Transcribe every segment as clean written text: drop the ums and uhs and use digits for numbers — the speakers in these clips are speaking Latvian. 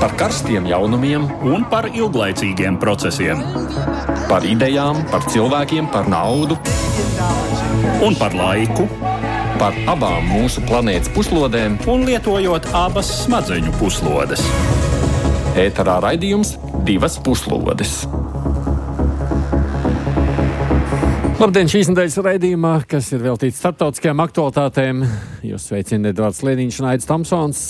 Par karstiem jaunumiem un par ilglaicīgiem procesiem. Par idejām, par cilvēkiem, par naudu Un par laiku, par abām mūsu planētas puslodēm. un lietojot abas smadzeņu puslodes. Ēterā raidījums Divas puslodes. Labdien, šīs nedēļas raidījumā, kas ir veltīts starptautiskajām aktualitātēm. Jūs sveicina Edvards Lieniņš un Aidis Tomsons.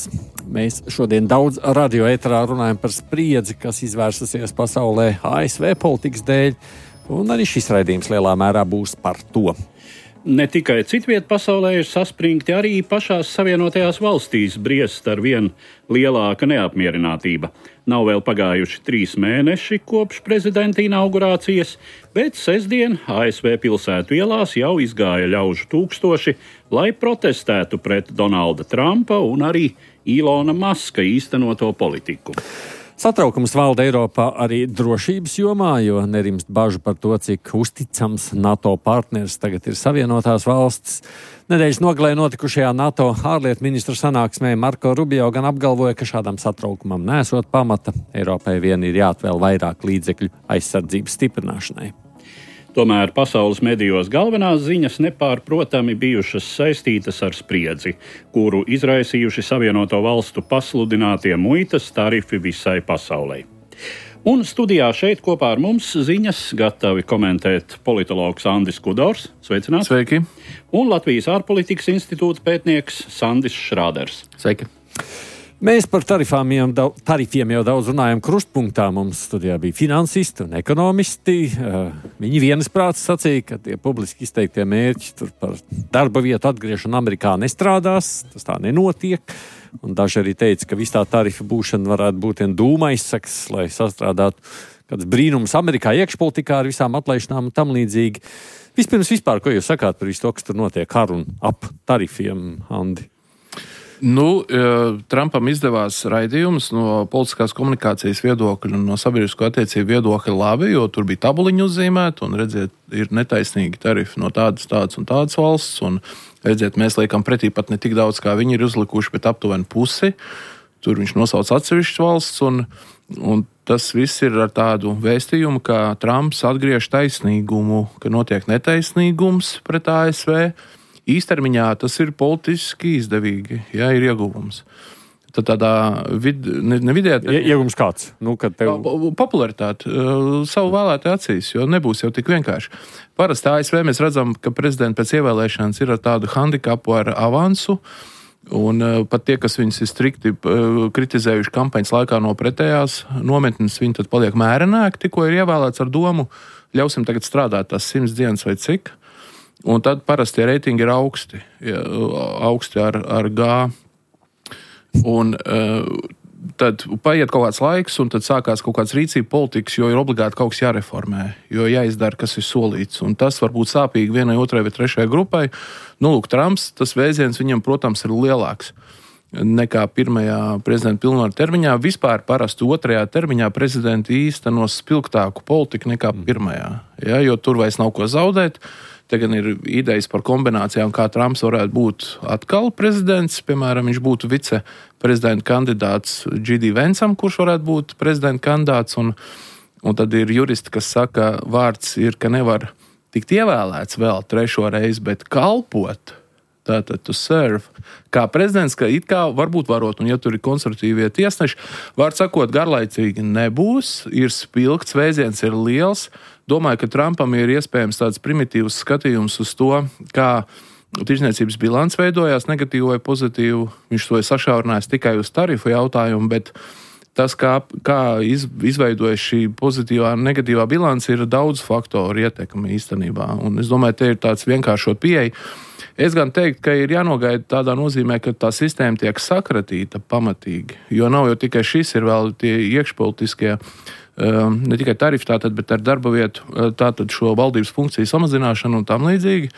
Mēs šodien daudz radio ēterā runājam par spriedzi, kas izvērsusies pasaulē ASV politikas dēļ, un arī šis raidījums lielā mērā būs par to. Ne tikai citviet pasaulē ir saspringti, arī pašās Savienotajās valstīs briest ar vien lielāka neapmierinātība. Nav vēl pagājuši 3 mēneši kopš prezidenta inaugurācijas, bet sestdien ASV pilsētu ielās jau izgāja ļaužu tūkstoši, lai protestētu pret Donalda Trumpa un arī Ilona Maska īstenoto politiku. Satraukums valda Eiropā arī drošības jomā, jo nerimst bažu par to, cik uzticams NATO partneris tagad ir Savienotās valstis. Nedēļas nogalē notikušajā NATO ārlietu ministru sanāksmē Marko Rubio gan apgalvoja, ka šādam satraukumam nesot pamata. Eiropai vien ir jāatvēl vairāk līdzekļu aizsardzības stiprināšanai. Tomēr pasaules medijos galvenās ziņas nepārprotami bijušas saistītas ar spriedzi, kuru izraisījuši Savienoto valstu pasludinātie muitas tarifi visai pasaulē. Un studijā šeit kopā ar mums ziņas gatavi komentēt politologs Andris Kudors. Sveicināts! Sveiki! Un Latvijas ārpolitikas institūta pētnieks Sandis Šrāders. Sveiki! Mēs par tarifiem jau daudz runājam krustpunktā. Mums studijā bija finansisti un ekonomisti. Viņi vienasprāts sacīja, ka tie publiski izteiktie mērķi tur par darba vietu atgriešanu Amerikā nestrādās. Tas tā nenotiek. Un daži arī teica, ka viss tā tarifa būšana varētu būt vien dūma aizsaks, lai sastrādātu kāds brīnums Amerikā iekšpolitikā ar visām atlaišanām un tam līdzīgi. Vispār, ko jūs sakāt par visu to, kas tur notiek ar un ap tarifiem, Andi? Trumpam izdevās raidījums no politiskās komunikācijas viedokļa un no sabiedrisko attiecību viedokļa labi, jo tur bija tabuliņi uzzīmēti un redziet, ir netaisnīgi tarifi no tādas un tādas valsts un redziet, mēs liekam pretī pat ne tik daudz, kā viņi ir uzlikuši, bet aptuveni pusi. Tur viņš nosauc atsevišķas valsts un tas viss ir ar tādu vēstījumu, ka Trumps atgriež taisnīgumu, ka notiek netaisnīgums pret ASV. Īstermiņā tas ir politiski izdevīgi, ja ir ieguvums. Tad tādā vidējā... Ieguvums kāds? Popularitāte savu vēlētāju acīs, jo nebūs jau tik vienkārši. Parasti ASV mēs redzam, ka prezidenti pēc ievēlēšanas ir ar tādu handikapu ar avansu, un pat tie, kas viņus ir strikti kritizējuši kampaņas laikā no pretējās nometnes, viņi tad paliek mērenāki, tikko ir ievēlēts ar domu, ļausim tagad strādāt tās 100 dienas vai cik. Un tad parasti tie reitingi ir augsti ar G. Un tad paiet kaut kāds laiks, un tad sākās kaut kāds rīcība politikas, jo ir obligāti kaut kas jāreformē, jo jāizdara, kas ir solīts. Un tas var būt sāpīgi vienai, otrai vai trešajai grupai. Trumps, tas vēziens viņam, protams, ir lielāks nekā pirmajā prezidenta pilnvaru termiņā. Vispār parasti otrajā termiņā prezidenti īstenos spilgtāku politiku nekā pirmajā, ja, jo tur vairs nav ko zaudēt. Te gan ir idejas par kombinācijām, kā Trumps varētu būt atkal prezidents. Piemēram, viņš būtu viceprezidenta kandidāts J.D. Vancam, kurš varētu būt prezidenta kandidāts. Un tad ir juristi, kas saka, vārds ir, ka nevar tikt ievēlēts vēl 3. reizi, bet kalpot. Tātad to serve. Kā prezidents, ka it kā varbūt varot, un ja tur ir konservatīvie tiesneši, vārds sakot, garlaicīgi nebūs, ir spilgts, vēziens ir liels. Domāju, ka Trumpam ir iespējams tāds primitīvs skatījums uz to, kā tirdzniecības bilants veidojās, negatīvu vai pozitīvu. Viņš to ir sašaurinājis tikai uz tarifu jautājumu, bet tas, kā izveidojas šī pozitīvā un negatīvā bilance, ir daudz faktoru ietekme īstenībā. Un es domāju, te ir tāds vienkāršot pieeja. Es gan teiktu, ka ir jānogaida tādā nozīmē, ka tā sistēma tiek sakratīta pamatīgi, jo nav jau tikai šis, ir vēl tie iekšpolitiskie, ne tikai tarifi tātad, bet ar darba vietu, tātad šo valdības funkciju samazināšanu un tam līdzīgi.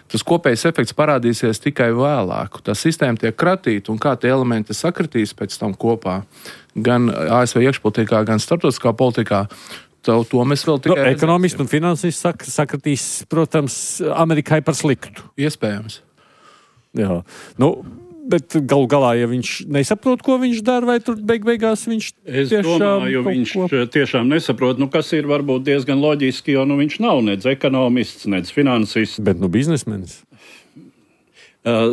Tas kopējs efekts parādīsies tikai vēlāk. Tā sistēma tiek kratīta un kā tie elementi sakratīs pēc tam kopā, gan ASV iekšpolitikā, gan starptautiskā politikā. To mēs vēl tikai redzēsim. Ekonomisti un finansisti sakratīs, protams, Amerikai par sliktu. Iespējams. Jā. Bet galu galā, ja viņš nesaprot, ko viņš dara, vai tur beigās viņš Es domāju, viņš tiešām nesaprot, kas ir varbūt diezgan loģiski, jo viņš nav nec ekonomists, nec finansists. Bet biznesmenis.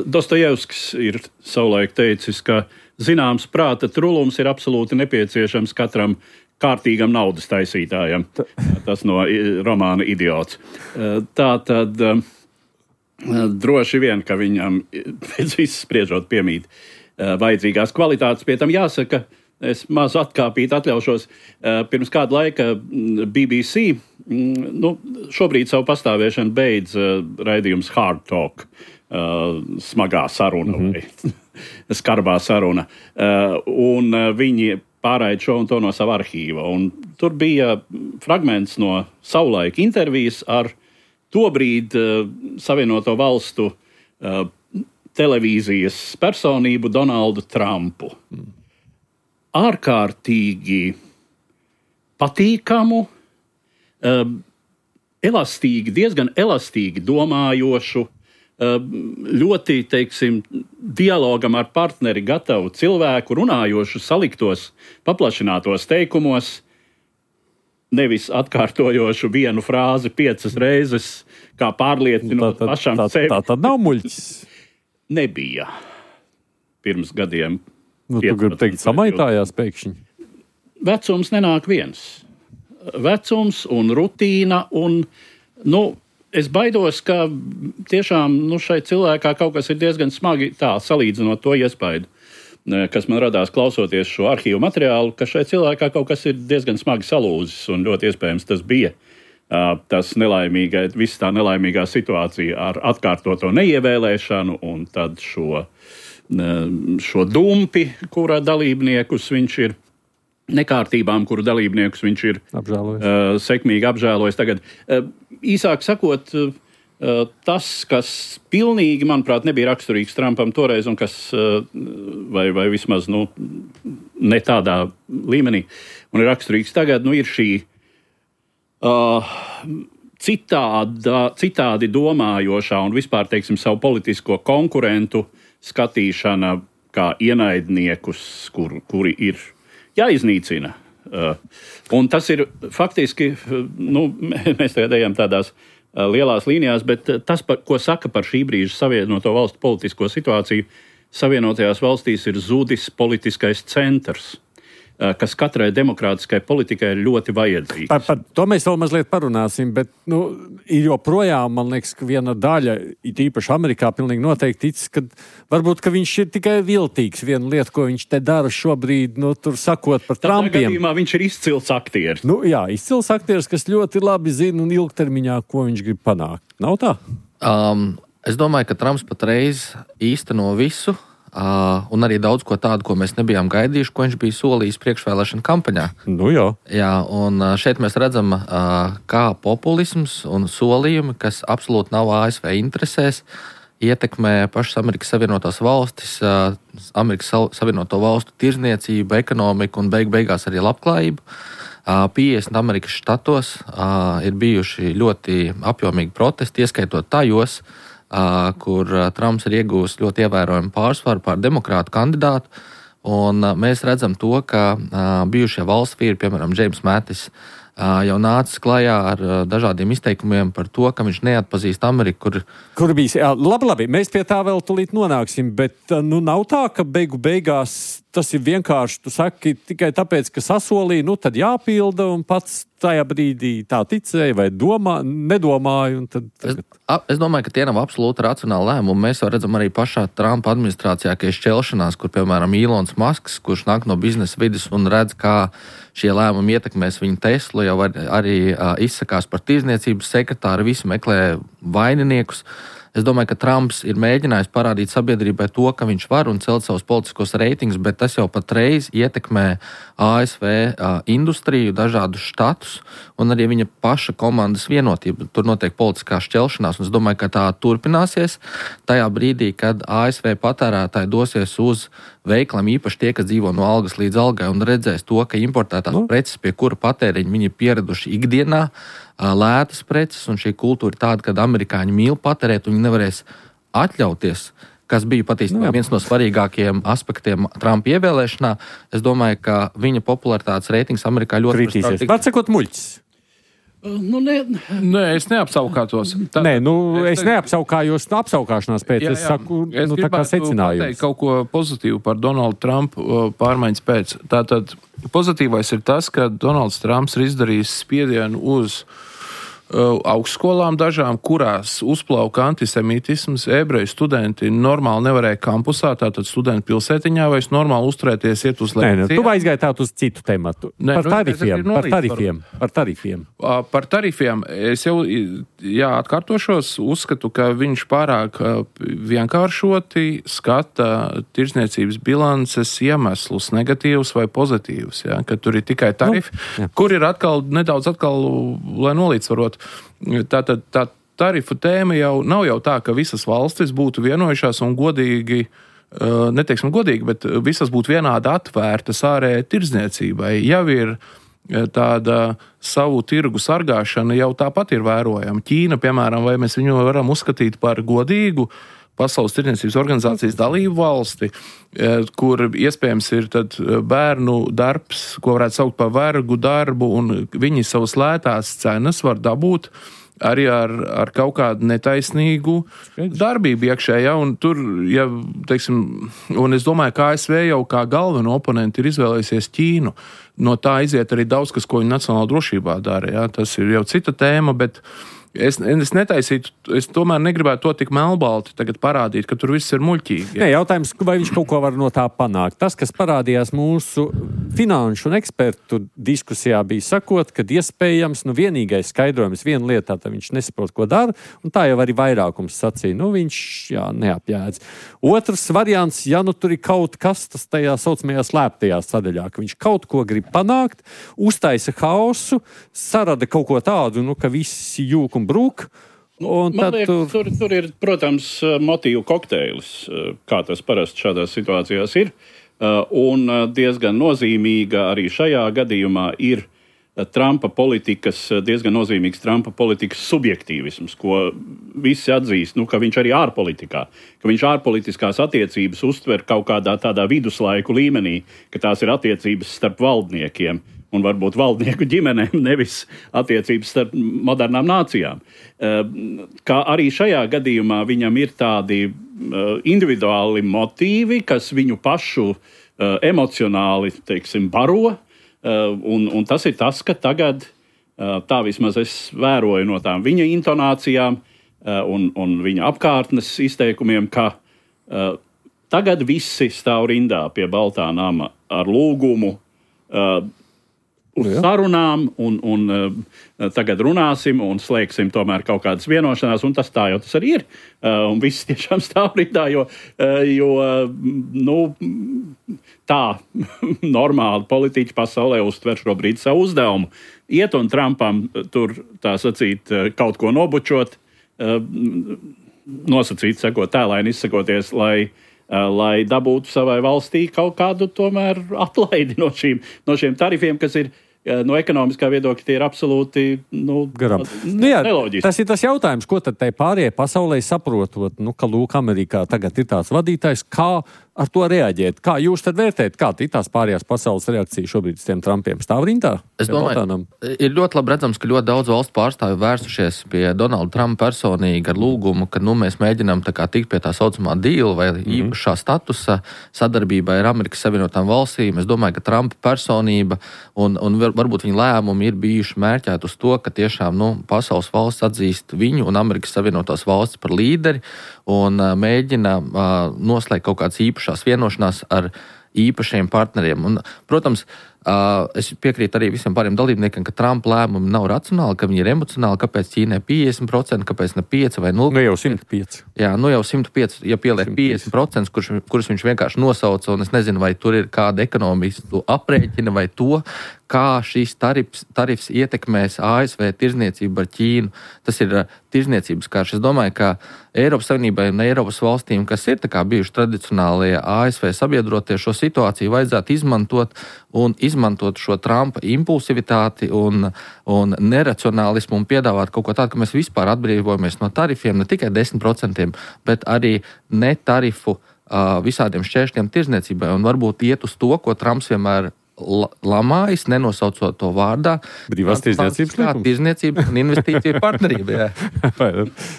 Dostojevskis ir savulaik teicis, ka zināms prāta trulums ir absolūti nepieciešams katram kārtīgam naudas taisītājam. Tas no romāna Idiots. Tā tad droši vien, ka viņam pēc viss spriežot piemīt vajadzīgās kvalitātes. Pie tam jāsaka, es maz atkāpīt atļaušos, pirms kāda laika BBC, šobrīd savu pastāvēšanu beidz raidījums Hard Talk, smagā saruna vai skarbā saruna. Un viņi pārraida šo un to no sava arhīva. Un tur bija fragments no savulaika intervijas ar tobrīd Savienoto Valstu televīzijas personību Donaldu Trumpu. Ārkārtīgi patīkamu, elastīgi, diezgan elastīgi domājošu, ļoti, dialogam ar partneri gatavu cilvēku, runājošu saliktos, paplašinātos teikumos, nevis atkārtojošu vienu frāzi 5 reizes, kā pārliecinot pašam sevi. Tā tad nav muļķis. Nebija pirms gadiem. Tu gribi teikt, samaitājās pēkšņi? Vecums nenāk viens. Vecums un rutīna un, es baidos, ka tiešām šai cilvēkā kaut kas ir diezgan smagi tā salīdzinot to iespaidu, kas man radās klausoties šo arhīvu materiālu, ka šai cilvēkā kaut kas ir diezgan smagi salūzis un ļoti iespējams tas bija tas viss tā nelaimīgā situācija ar atkārtoto neievēlēšanu un tad šo dumpi, kura dalībniekus viņš ir, nekārtībām, kuru dalībniekus viņš ir sekmīgi apžēlojis. Tagad īsāk sakot, tas, kas pilnīgi, manuprāt, nebija raksturīgs Trumpam toreiz un kas, vai vismaz, ne tādā līmenī, un ir raksturīgs tagad, ir šī citādi domājošā un vispār, savu politisko konkurentu skatīšana kā ienaidniekus, kuri ir jāiznīcina. Un tas ir faktiski, mēs tagad ejam tādās lielās līnijās, bet tas, ko saka par šī brīža Savienoto Valstu politisko situāciju, Savienotajās valstīs ir zudis politiskais centrs, kas katrai demokrātiskai politikai ir ļoti vajadzīgs. Par to mēs vēl mazliet parunāsim, bet ir joprojām, man liekas, ka viena daļa, it īpaši Amerikā, pilnīgi noteikti tic, ka varbūt, ka viņš ir tikai viltīgs. Viena lieta, ko viņš te dara šobrīd, tur sakot par Trumpiem. Tādā gadījumā viņš ir izcils aktieris. Jā, izcils aktieris, kas ļoti labi zina un ilgtermiņā, ko viņš grib panākt. Nav tā? Es domāju, ka Trumps patreiz īsteno visu, un arī daudz ko tādu, ko mēs nebijām gaidījuši, ko viņš bija solījis priekšvēlēšana kampaņā. Jā, un šeit mēs redzam, kā populisms un solījumi, kas absolūti nav ASV interesēs, ietekmē pašas Amerikas Savienotās valstis, Amerikas Savienoto valstu tirzniecību, ekonomiku un beigās arī labklājību. 50 Amerikas štatos ir bijuši ļoti apjomīgi protesti, ieskaitot tajos, kur Trumps ir iegūs ļoti ievērojumu pārsvaru pār demokrātu kandidātu, un mēs redzam to, ka bijušie valsts vīri, piemēram, Džeims Matis, jau nācis klajā ar dažādiem izteikumiem par to, ka viņš neatpazīst Ameriku, kur bija. Labi, mēs pie tā vēl tulīt nonāksim, bet nav tā, ka beigās tas ir vienkārši, tu saki, tikai tāpēc, ka sasolīja, tad jāpilda, un pats tajā brīdī tā ticēja vai nedomāja. Es domāju, ka tie nav absolūti racionāli lēmumi. Mēs jau redzam arī pašā Trumpa administrācijā, ka ir šķelšanās, kur, piemēram, Ilons Masks, kurš nāk no biznesa vidas un redz, kā šie lēmumi ietekmēs viņa Teslu, jau arī izsakās par tirdzniecības sekretāru, visi meklē vaininiekus. Es domāju, ka Trumps ir mēģinājis parādīt sabiedrībai to, ka viņš var un celt savus politiskos reitingus, bet tas jau patreiz ietekmē ASV industriju, dažādus štatus un arī viņa paša komandas vienotību. Tur notiek politiskā šķelšanās, un es domāju, ka tā turpināsies tajā brīdī, kad ASV patērētāji dosies uz veikliem, īpaši tie, kas dzīvo no algas līdz algai, un redzēs to, ka importētās preces, pie kura patēriņa viņi ir pieraduši ikdienā, lētas preces, un šī kultūra ir tāda, ka amerikāņi mīl patērēt, un viņi nevarēs atļauties, kas bija patiesībā viens no svarīgākajiem aspektiem Trumpa ievēlēšanā. Es domāju, ka viņa popularitātes reitings Amerikā ļoti kritīsies. Pārsakot muļķis. Nē, es neapsaukātos. Es neapsaukājos apsaukāšanās pēc. Es saku, tā kā secinājums. Pateikt kaut ko pozitīvu par Donaldu Trumpu pārmaiņas pēc. Tātad pozitīvais ir tas, ka Donalds Trumps ir izdarījis spiedienu uz augstskolām dažām, kurās uzplauka antisemītisms, ebreju studenti normāli nevarēja kampusā, tātad studentu pilsētiņā vairs normāli uzturēties, iet uz lekciju. Tu aizgāji tātad uz citu tematu. Par tarifiem. Par tarifiem es jau atkārtošos, uzskatu, ka viņš pārāk vienkāršoti skata tirdzniecības bilances iemeslus, negatīvus vai pozitīvus, ka tur ir tikai tarifi, kur ir nedaudz, lai nolīdzvarot. Tātad tā tarifu tēma jau nav tā, ka visas valstis būtu vienojušās un godīgi, neteiksim godīgi, bet visas būtu vienādi atvērtas ārējai tirdzniecībai. Jau ir tāda savu tirgu sargāšana jau tāpat ir vērojama. Ķīna, piemēram, vai mēs viņu varam uzskatīt par godīgu Pasaules tirdzniecības organizācijas dalību valsti, kur iespējams ir tad bērnu darbs, ko varētu saukt par vergu darbu, un viņi savas lētās cenas var dabūt arī ar kaut kādu netaisnīgu darbību iekšējā, un tur, un es domāju, ka ASV jau kā galveno oponenti ir izvēlējusies Ķīnu. No tā iziet arī daudz, kas, ko viņi nacionālā drošībā dara, Tas ir jau cita tēma, bet es netaisītu, es tomēr negribētu to tik melnbalti tagad parādīt, ka tur viss ir muļķīgi. Nē, jautājums, vai viņš kaut ko var no tā panākt. Tas, kas parādījās mūsu finanšu un ekspertu diskusijā, bija sakot, ka iespējams, vienīgais skaidrojums viena lietā, tad viņš nesaprot, ko dara, un tā jau arī vairākums sacīja. Viņš, neapjēdz. Otrs variants, tur ir kaut kas, tas tajā saucamajā slēptajā sadaļā, ka viņš kaut ko grib panākt, uztaisa haosu, sarada kaut ko tādu, ka visi jūk un brūk. Man liekas, tur ir, protams, motīvu kokteilis, kā tas parasti šādās situācijās ir. Un diezgan nozīmīga arī šajā gadījumā ir diezgan nozīmīgs Trumpa politikas subjektīvisms, ko visi atzīst, ka viņš arī ārpolitikā, ka viņš ārpolitiskās attiecības uztver kaut kādā tādā viduslaiku līmenī, ka tās ir attiecības starp valdniekiem un varbūt valdnieku ģimenēm, nevis attiecības starp modernām nācijām. Kā arī šajā gadījumā viņam ir tādi individuāli motīvi, kas viņu pašu emocionāli, baro, un tas ir tas, ka tagad, tā vismaz es vēroju no tām viņa intonācijām un viņa apkārtnes izteikumiem, ka tagad visi stāv rindā pie Baltā nama ar lūgumu uz sarunām, un tagad runāsim un slēgsim tomēr kaut kādas vienošanās, un tas tā jau tas arī ir. Un viss tiešām stāv rindā, jo tā normāli politiķi pasaulē uztver šobrīd savu uzdevumu. Iet un Trumpam tur, tā sacīt, kaut ko nobučot, nosacīt, sakot, tēlaini izsakoties, lai dabūtu savai valstī kaut kādu tomēr atlaidi no šiem tarifiem, kas ir no ekonomiskā viedokļa tie ir absolūti neloģiski. Tas ir tas jautājums, ko tad tai pārējai pasaulē saprotot, ka lūk, Amerikā tagad ir tāds vadītājs, kā ar to reaģēt? Kā jūs tad vērtējat, kā ir tās pārējās pasaules reakcija šobrīd uz tiem Trumpiem? Stāv rindā? Es domāju, ir ļoti labi redzams, ka ļoti daudz valstu pārstāvju vērsušies pie Donalda Trumpa personīgi ar lūgumu, ka mēs mēģinām tikt pie tā saucamā deala vai īpašā statusa sadarbībai ar Amerikas Savienotām valstīm. Es domāju, ka Trumpa personība un varbūt viņa lēmumi ir bijuši mērķēti uz to, ka tiešām pasaules valsts atzīst viņu un Amerikas Savienotās valstis par līderi un mēģina noslēgt kaut kādas īpašās vienošanās ar īpašiem partneriem. Un, protams, es piekrītu arī visiem pāriem dalībniekiem, ka Trumpa lēmumi nav racionāli, ka viņi ir emocionāli, kāpēc Ķīnai 50%, kāpēc ne 5 vai 0%. Nu jau 105. Jā, jau 105, ja pieliek 50%, kurus viņš vienkārši nosauca, un es nezinu, vai tur ir kāda ekonomistu aprēķina vai to, kā šīs tarifs ietekmēs ASV tirdzniecību ar Ķīnu. Tas ir tirdzniecības karš. Es domāju, ka Eiropas Savienībai un Eiropas valstīm, kas ir bijuši tradicionālie ASV sabiedrotie, šo situāciju vajadzētu izmantot un izmantot šo Trumpa impulsivitāti un neracionālismu un piedāvāt kaut ko tādu, ka mēs vispār atbrīvojamies no tarifiem, ne tikai 10%, bet arī netarifu visādiem šķēršļiem tirzniecībai un varbūt iet uz to, ko Trumps vienmēr lamājas, nenosaucot to vārdā. Brīvās tirzniecības likums. Tirzniecība un investīcija partnerība.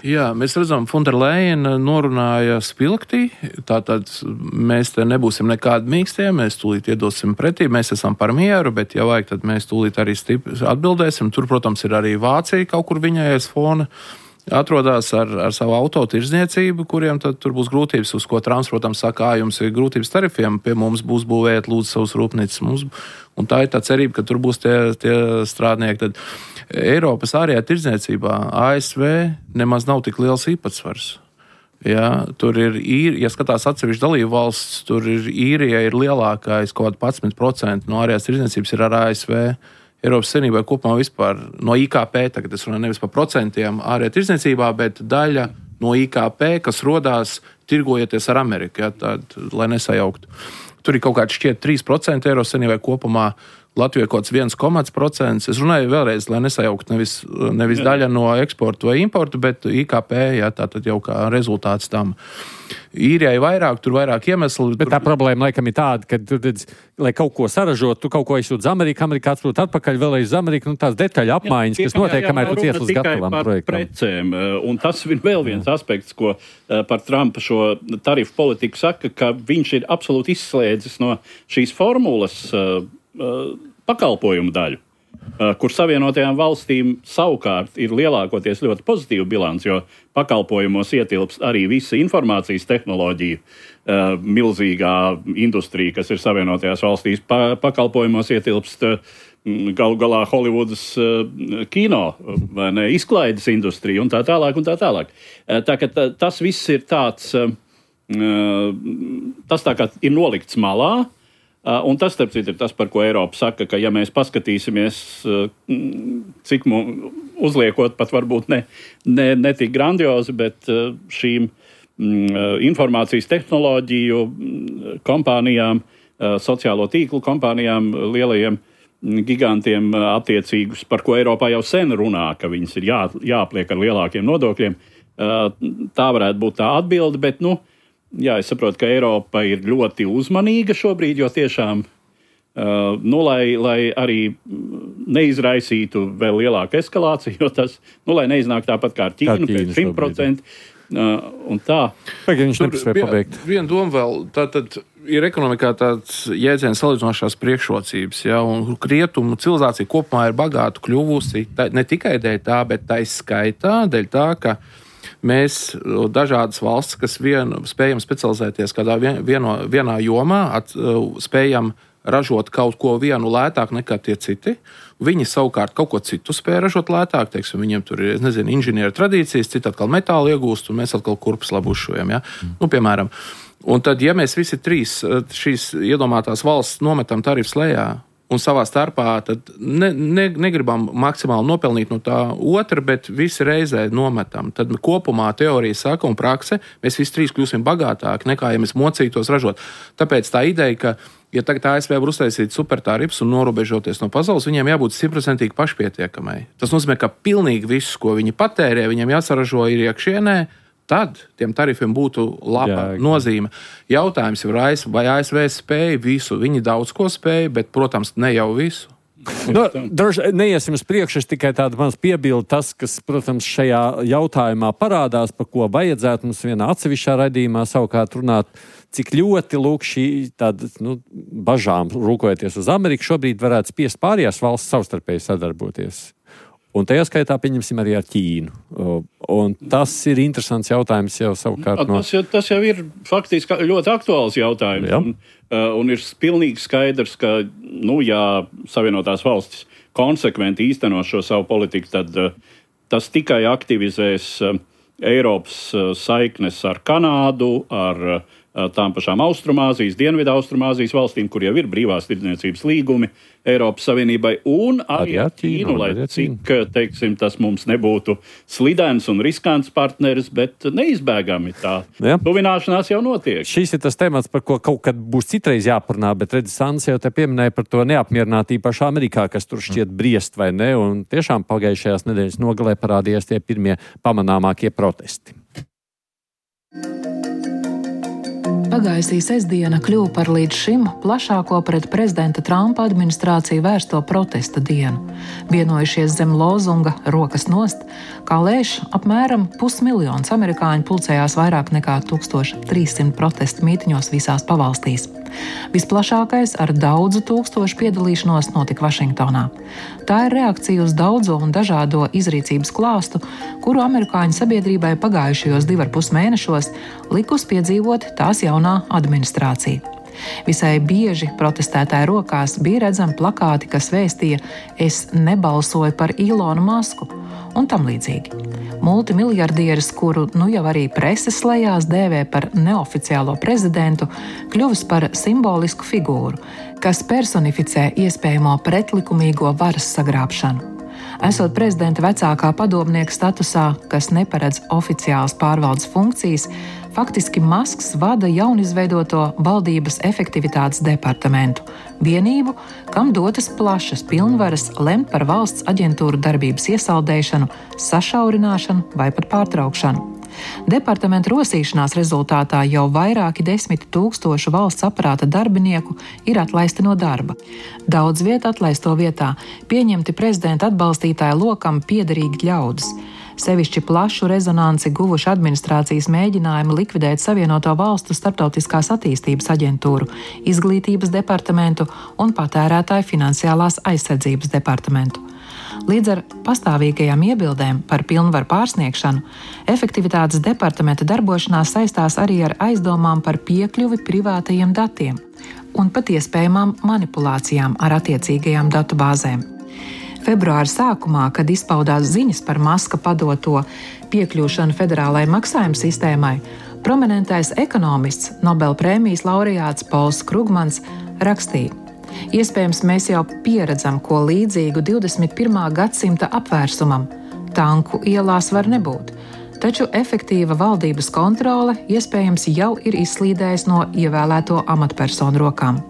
Jā, mēs redzam, Fonderleina norunāja spilgtī, tātad mēs te nebūsim nekādi mīkstie, mēs tūlīt iedosim pretī, mēs esam par mieru, bet ja vajag, tad mēs tūlīt arī atbildēsim. Tur, protams, ir arī Vācija kaut kur viņai aiz fona. Atrodas ar savu autotirdzniecību, kuriem tad tur būs grūtības, uz ko Trumps, protams, saka, jums ir grūtības tarifiem, pie mums būs būvēt lūdzu savus rūpnīcas. Un tā ir tā cerība, ka tur būs tie strādnieki. Tad Eiropas ārējā tirdzniecībā ASV nemaz nav tik liels īpatsvars. Ja, tur ir, ja skatās atsevišķi dalību valsts, tur ir Īrija ir lielākais, kaut kāds 11% no ārējās tirdzniecības ir ar ASV. Eiropas Savienībai kopumā vispār no IKP, tagad es runāju nevis par procentiem ārējā tirdzniecībā, bet daļa no IKP, kas rodās tirgojoties ar Ameriku, ja, tād, lai nesajauktu. Tur ir kaut kāds šķiet 3% Eiropas Savienībai kopumā, Latvijai kaut kāds 1,%. Es runāju vēlreiz, lai nesajauktu nevis daļa no eksporta vai importa, bet IKP, ja, tātad jau kā rezultāts tam. Īrijai vairāk, tur vairāk iemesli. Bet tā problēma laikam ir tāda, ka, lai kaut ko saražot, tu kaut ko izsūti uz Ameriku, Amerikā atsūti atpakaļ vēlreiz uz Ameriku, tās detaļu apmaiņas, kas notiek, kamēr tu ties līdz gatavam projektam. Precēm, un tas ir vēl viens aspekts, ko par Trumpa šo tarifu politiku saka, ka viņš ir absolūti izslēdzis no šīs formulas pakalpojumu daļu, kur Savienotajām valstīm savukārt ir lielākoties ļoti pozitīva bilants, jo pakalpojumos ietilpst arī visa informācijas tehnoloģija, milzīgā industrija, kas ir Savienotajās valstīs. Pakalpojumos ietilpst galu galā Hollywoodas kino, vai ne, izklaides industrija un tā tālāk un tā tālāk. Tā ka tas viss ir tāds, tas tā kā ir nolikts malā. Un tas, starp citu, ir tas, par ko Eiropa saka, ka ja mēs paskatīsimies, cik uzliekot pat varbūt ne tik grandiozi, bet šīm informācijas tehnoloģiju kompānijām, sociālo tīklu kompānijām, lielajiem gigantiem attiecīgus, par ko Eiropā jau sen runā, ka viņas ir jāapliek ar lielākiem nodokļiem. Tā varētu būt tā atbilde, bet, jā, es saprotu, ka Eiropa ir ļoti uzmanīga šobrīd, jo tiešām, lai arī neizraisītu vēl lielāku eskalāciju, jo tas, lai neiznāk tāpat kā ar Ķīnu, pēc 100%, un tā. Pagaid, viņš nepaspēja pabeigt. Viena doma vēl, tātad ir ekonomikā tāds jēdziens salīdzinošās priekšrocības, ja, un rietumu civilizācija kopumā ir bagātu kļuvusi, ne tikai dēļ tā, bet tā izskaitā, dēļ tā, ka mēs dažādas valsts, kas spējam specializēties kādā vienā jomā, spējam ražot kaut ko vienu lētāk nekā tie citi. Viņi savukārt kaut ko citu spēja ražot lētāk. Teiksim, viņiem tur ir, inženieru tradīcijas, citi atkal metālu iegūst, un mēs atkal kurpes labu uzšojam. Ja? Piemēram. Un tad, ja mēs visi trīs šīs iedomātās valsts nometam tarifus lejā, un savā starpā tad negribam maksimāli nopelnīt no tā otra, bet visi reizē nometam. Tad kopumā teorija saka un prakse, mēs visi trīs kļūsim bagātāki nekā, ja mēs mocītos ražot. Tāpēc tā ideja, ka, ja tagad ASV var uztaisīt supertarifus un norobežoties no pasaules, viņiem jābūt 100% pašpietiekamai. Tas nozīmē, ka pilnīgi viss, ko viņi patērē, viņiem jāsaražo ir iekšienē, tad tiem tarifiem būtu laba nozīme. Jautājums ir, vai ASV spēja visu? Viņi daudz ko spēja, bet, protams, ne jau visu. Neiesim uz priekšu, es tikai tādu maz piebildu tas, kas, protams, šajā jautājumā parādās, par ko vajadzētu mums vienā atsevišķā raidījumā savukārt runāt, cik ļoti lūk šī tāda, bažām rūkojoties uz Ameriku šobrīd varētu spiest pārējās valsts savstarpēji sadarboties. Un tajā skaitā pieņemsim arī ar Ķīnu. Un tas ir interesants jautājums jau savukārt. Tas jau ir faktiski ļoti aktuāls jautājums. Ja. Un ir pilnīgi skaidrs, ka, ja Savienotās valstis konsekventi īsteno šo savu politiku, tad tas tikai aktivizēs Eiropas saiknes ar Kanādu, ar tām pašām Austrumāzijas, Dienvidu Austrumāzijas valstīm, kur jau ir brīvās tirdzniecības līgumi Eiropas Savienībai, un arī ar Ķīnu, lai cik, teiksim, tas mums nebūtu slidens un riskants partneris, bet neizbēgami tā tuvināšanās jau notiek. Šis ir tas temats, par ko kaut kad būs citreiz jāparunā, bet redz, Sants jau te pieminēja par to neapmierinātību pašā Amerikā, kas tur šķiet briest vai ne, un tiešām pagājušajās nedēļas nogalē parādījās tie pirmie pamanāmākie protesti. Pagājusī sestdiena kļuva par līdz šim plašāko pret prezidenta Trumpa administrāciju vērsto protesta dienu. Vienojušies zem lozunga "Rokas nost", kā lēš apmēram 500 000 amerikāņu pulcējās vairāk nekā 1300 protestu mītiņos visās pavalstīs. Visplašākais ar daudzu tūkstošu piedalīšanos notika Vašingtonā. Tā ir reakcija uz daudzo un dažādo izrīcības klāstu, kuru amerikāņu sabiedrībai pagājušajos 2,5 mēnešos likus piedzīvot tās jaunā administrācija. Visai bieži protestētāju rokās bija redzami plakāti, kas vēstīja "Es nebalsoju par Ilonu Masku" un tam līdzīgi. Multimiljardieris, kuru nu jau arī preses lejās dēvē par neoficiālo prezidentu, kļuvis par simbolisku figūru, kas personificē iespējamo pretlikumīgo varas sagrābšanu. Esot prezidenta vecākā padomnieka statusā, kas neparedz oficiālas pārvaldes funkcijas, faktiski Masks vada jaunizveidoto valdības efektivitātes departamentu, vienību, kam dotas plašas pilnvaras lemt par valsts aģentūru darbības iesaldēšanu, sašaurināšanu vai pat pārtraukšanu. Departamenta rosīšanās rezultātā jau vairāki 10 000 valsts aparāta darbinieku ir atlaisti no darba. Daudz vietu atlaisto vietā pieņemti prezidenta atbalstītāju lokam piederīgi ļaudis. Sevišķi plašu rezonanci guvuši administrācijas mēģinājumi likvidēt Savienoto Valstu starptautiskās attīstības aģentūru, izglītības departamentu un patērētāju finansiālās aizsardzības departamentu. Līdz ar pastāvīgajām iebildēm par pilnvaru pārsniegšanu, efektivitātes departamenta darbošanās saistās arī ar aizdomām par piekļuvi privātajiem datiem un pat iespējamām manipulācijām ar attiecīgajām datubāzēm. Februāra sākumā, kad izpaudās ziņas par Maska padoto piekļūšanu federālajai maksājuma sistēmai, prominentais ekonomists, Nobel prēmijas laureāts Pols Krugmans rakstīja: "Iespējams, mēs jau pieredzam ko līdzīgu 21. gadsimta apvērsumam. Tanku ielās var nebūt, taču efektīva valdības kontrole iespējams jau ir izslīdējusi no ievēlēto amatpersonu rokām."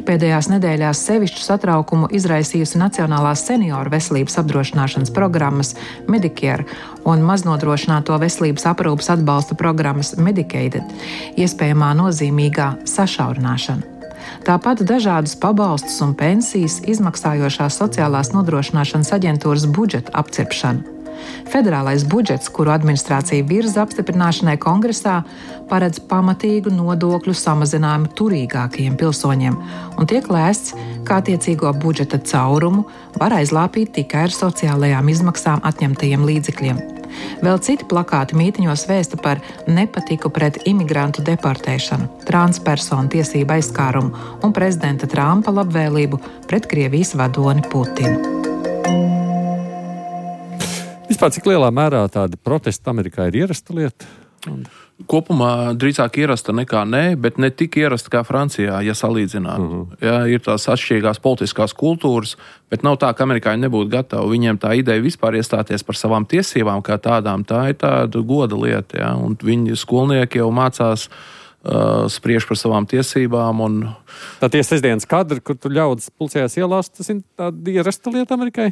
Pēdējās nedēļās sevišķu satraukumu izraisījusi Nacionālās senioru veselības apdrošināšanas programmas Medicare un maznodrošināto veselības aprūpes atbalsta programmas Medicaid iespējamā nozīmīgā sašaurināšana. Tāpat dažādus pabalstus un pensijas izmaksājošās sociālās nodrošināšanas aģentūras budžeta apcirpšana. Federālais budžets, kuru administrācija virza apstiprināšanai Kongresā, paredz pamatīgu nodokļu samazinājumu turīgākajiem pilsoņiem un tiek lēsts, ka attiecīgo budžeta caurumu var aizlāpīt tikai ar sociālajām izmaksām atņemtajiem līdzekļiem. Vēl citi plakāti mītiņos vēsta par nepatiku pret imigrantu deportēšanu, transpersonu tiesību aizskārumu un prezidenta Trumpa labvēlību pret Krievijas vadoni Putinu. Vispār, cik lielā mērā tādi protesti Amerikā ir ierasta lieta? Kopumā drīzāk ierasta nekā nē, bet ne tik ierasta kā Francijā, ja salīdzinātu. Ja, ir tās atšķirīgās politiskās kultūras, bet nav tā, ka amerikāņi nebūtu gatavi. Viņiem tā ideja vispār iestāties par savām tiesībām kā tādām, tā ir tāda goda lieta. Ja, un viņi skolnieki jau mācās spriež par savām tiesībām. Tā tie sestdienas kadri, kur tu ļaudis pulcējās ielās, tas ir tāda ierasta lieta Amerikai?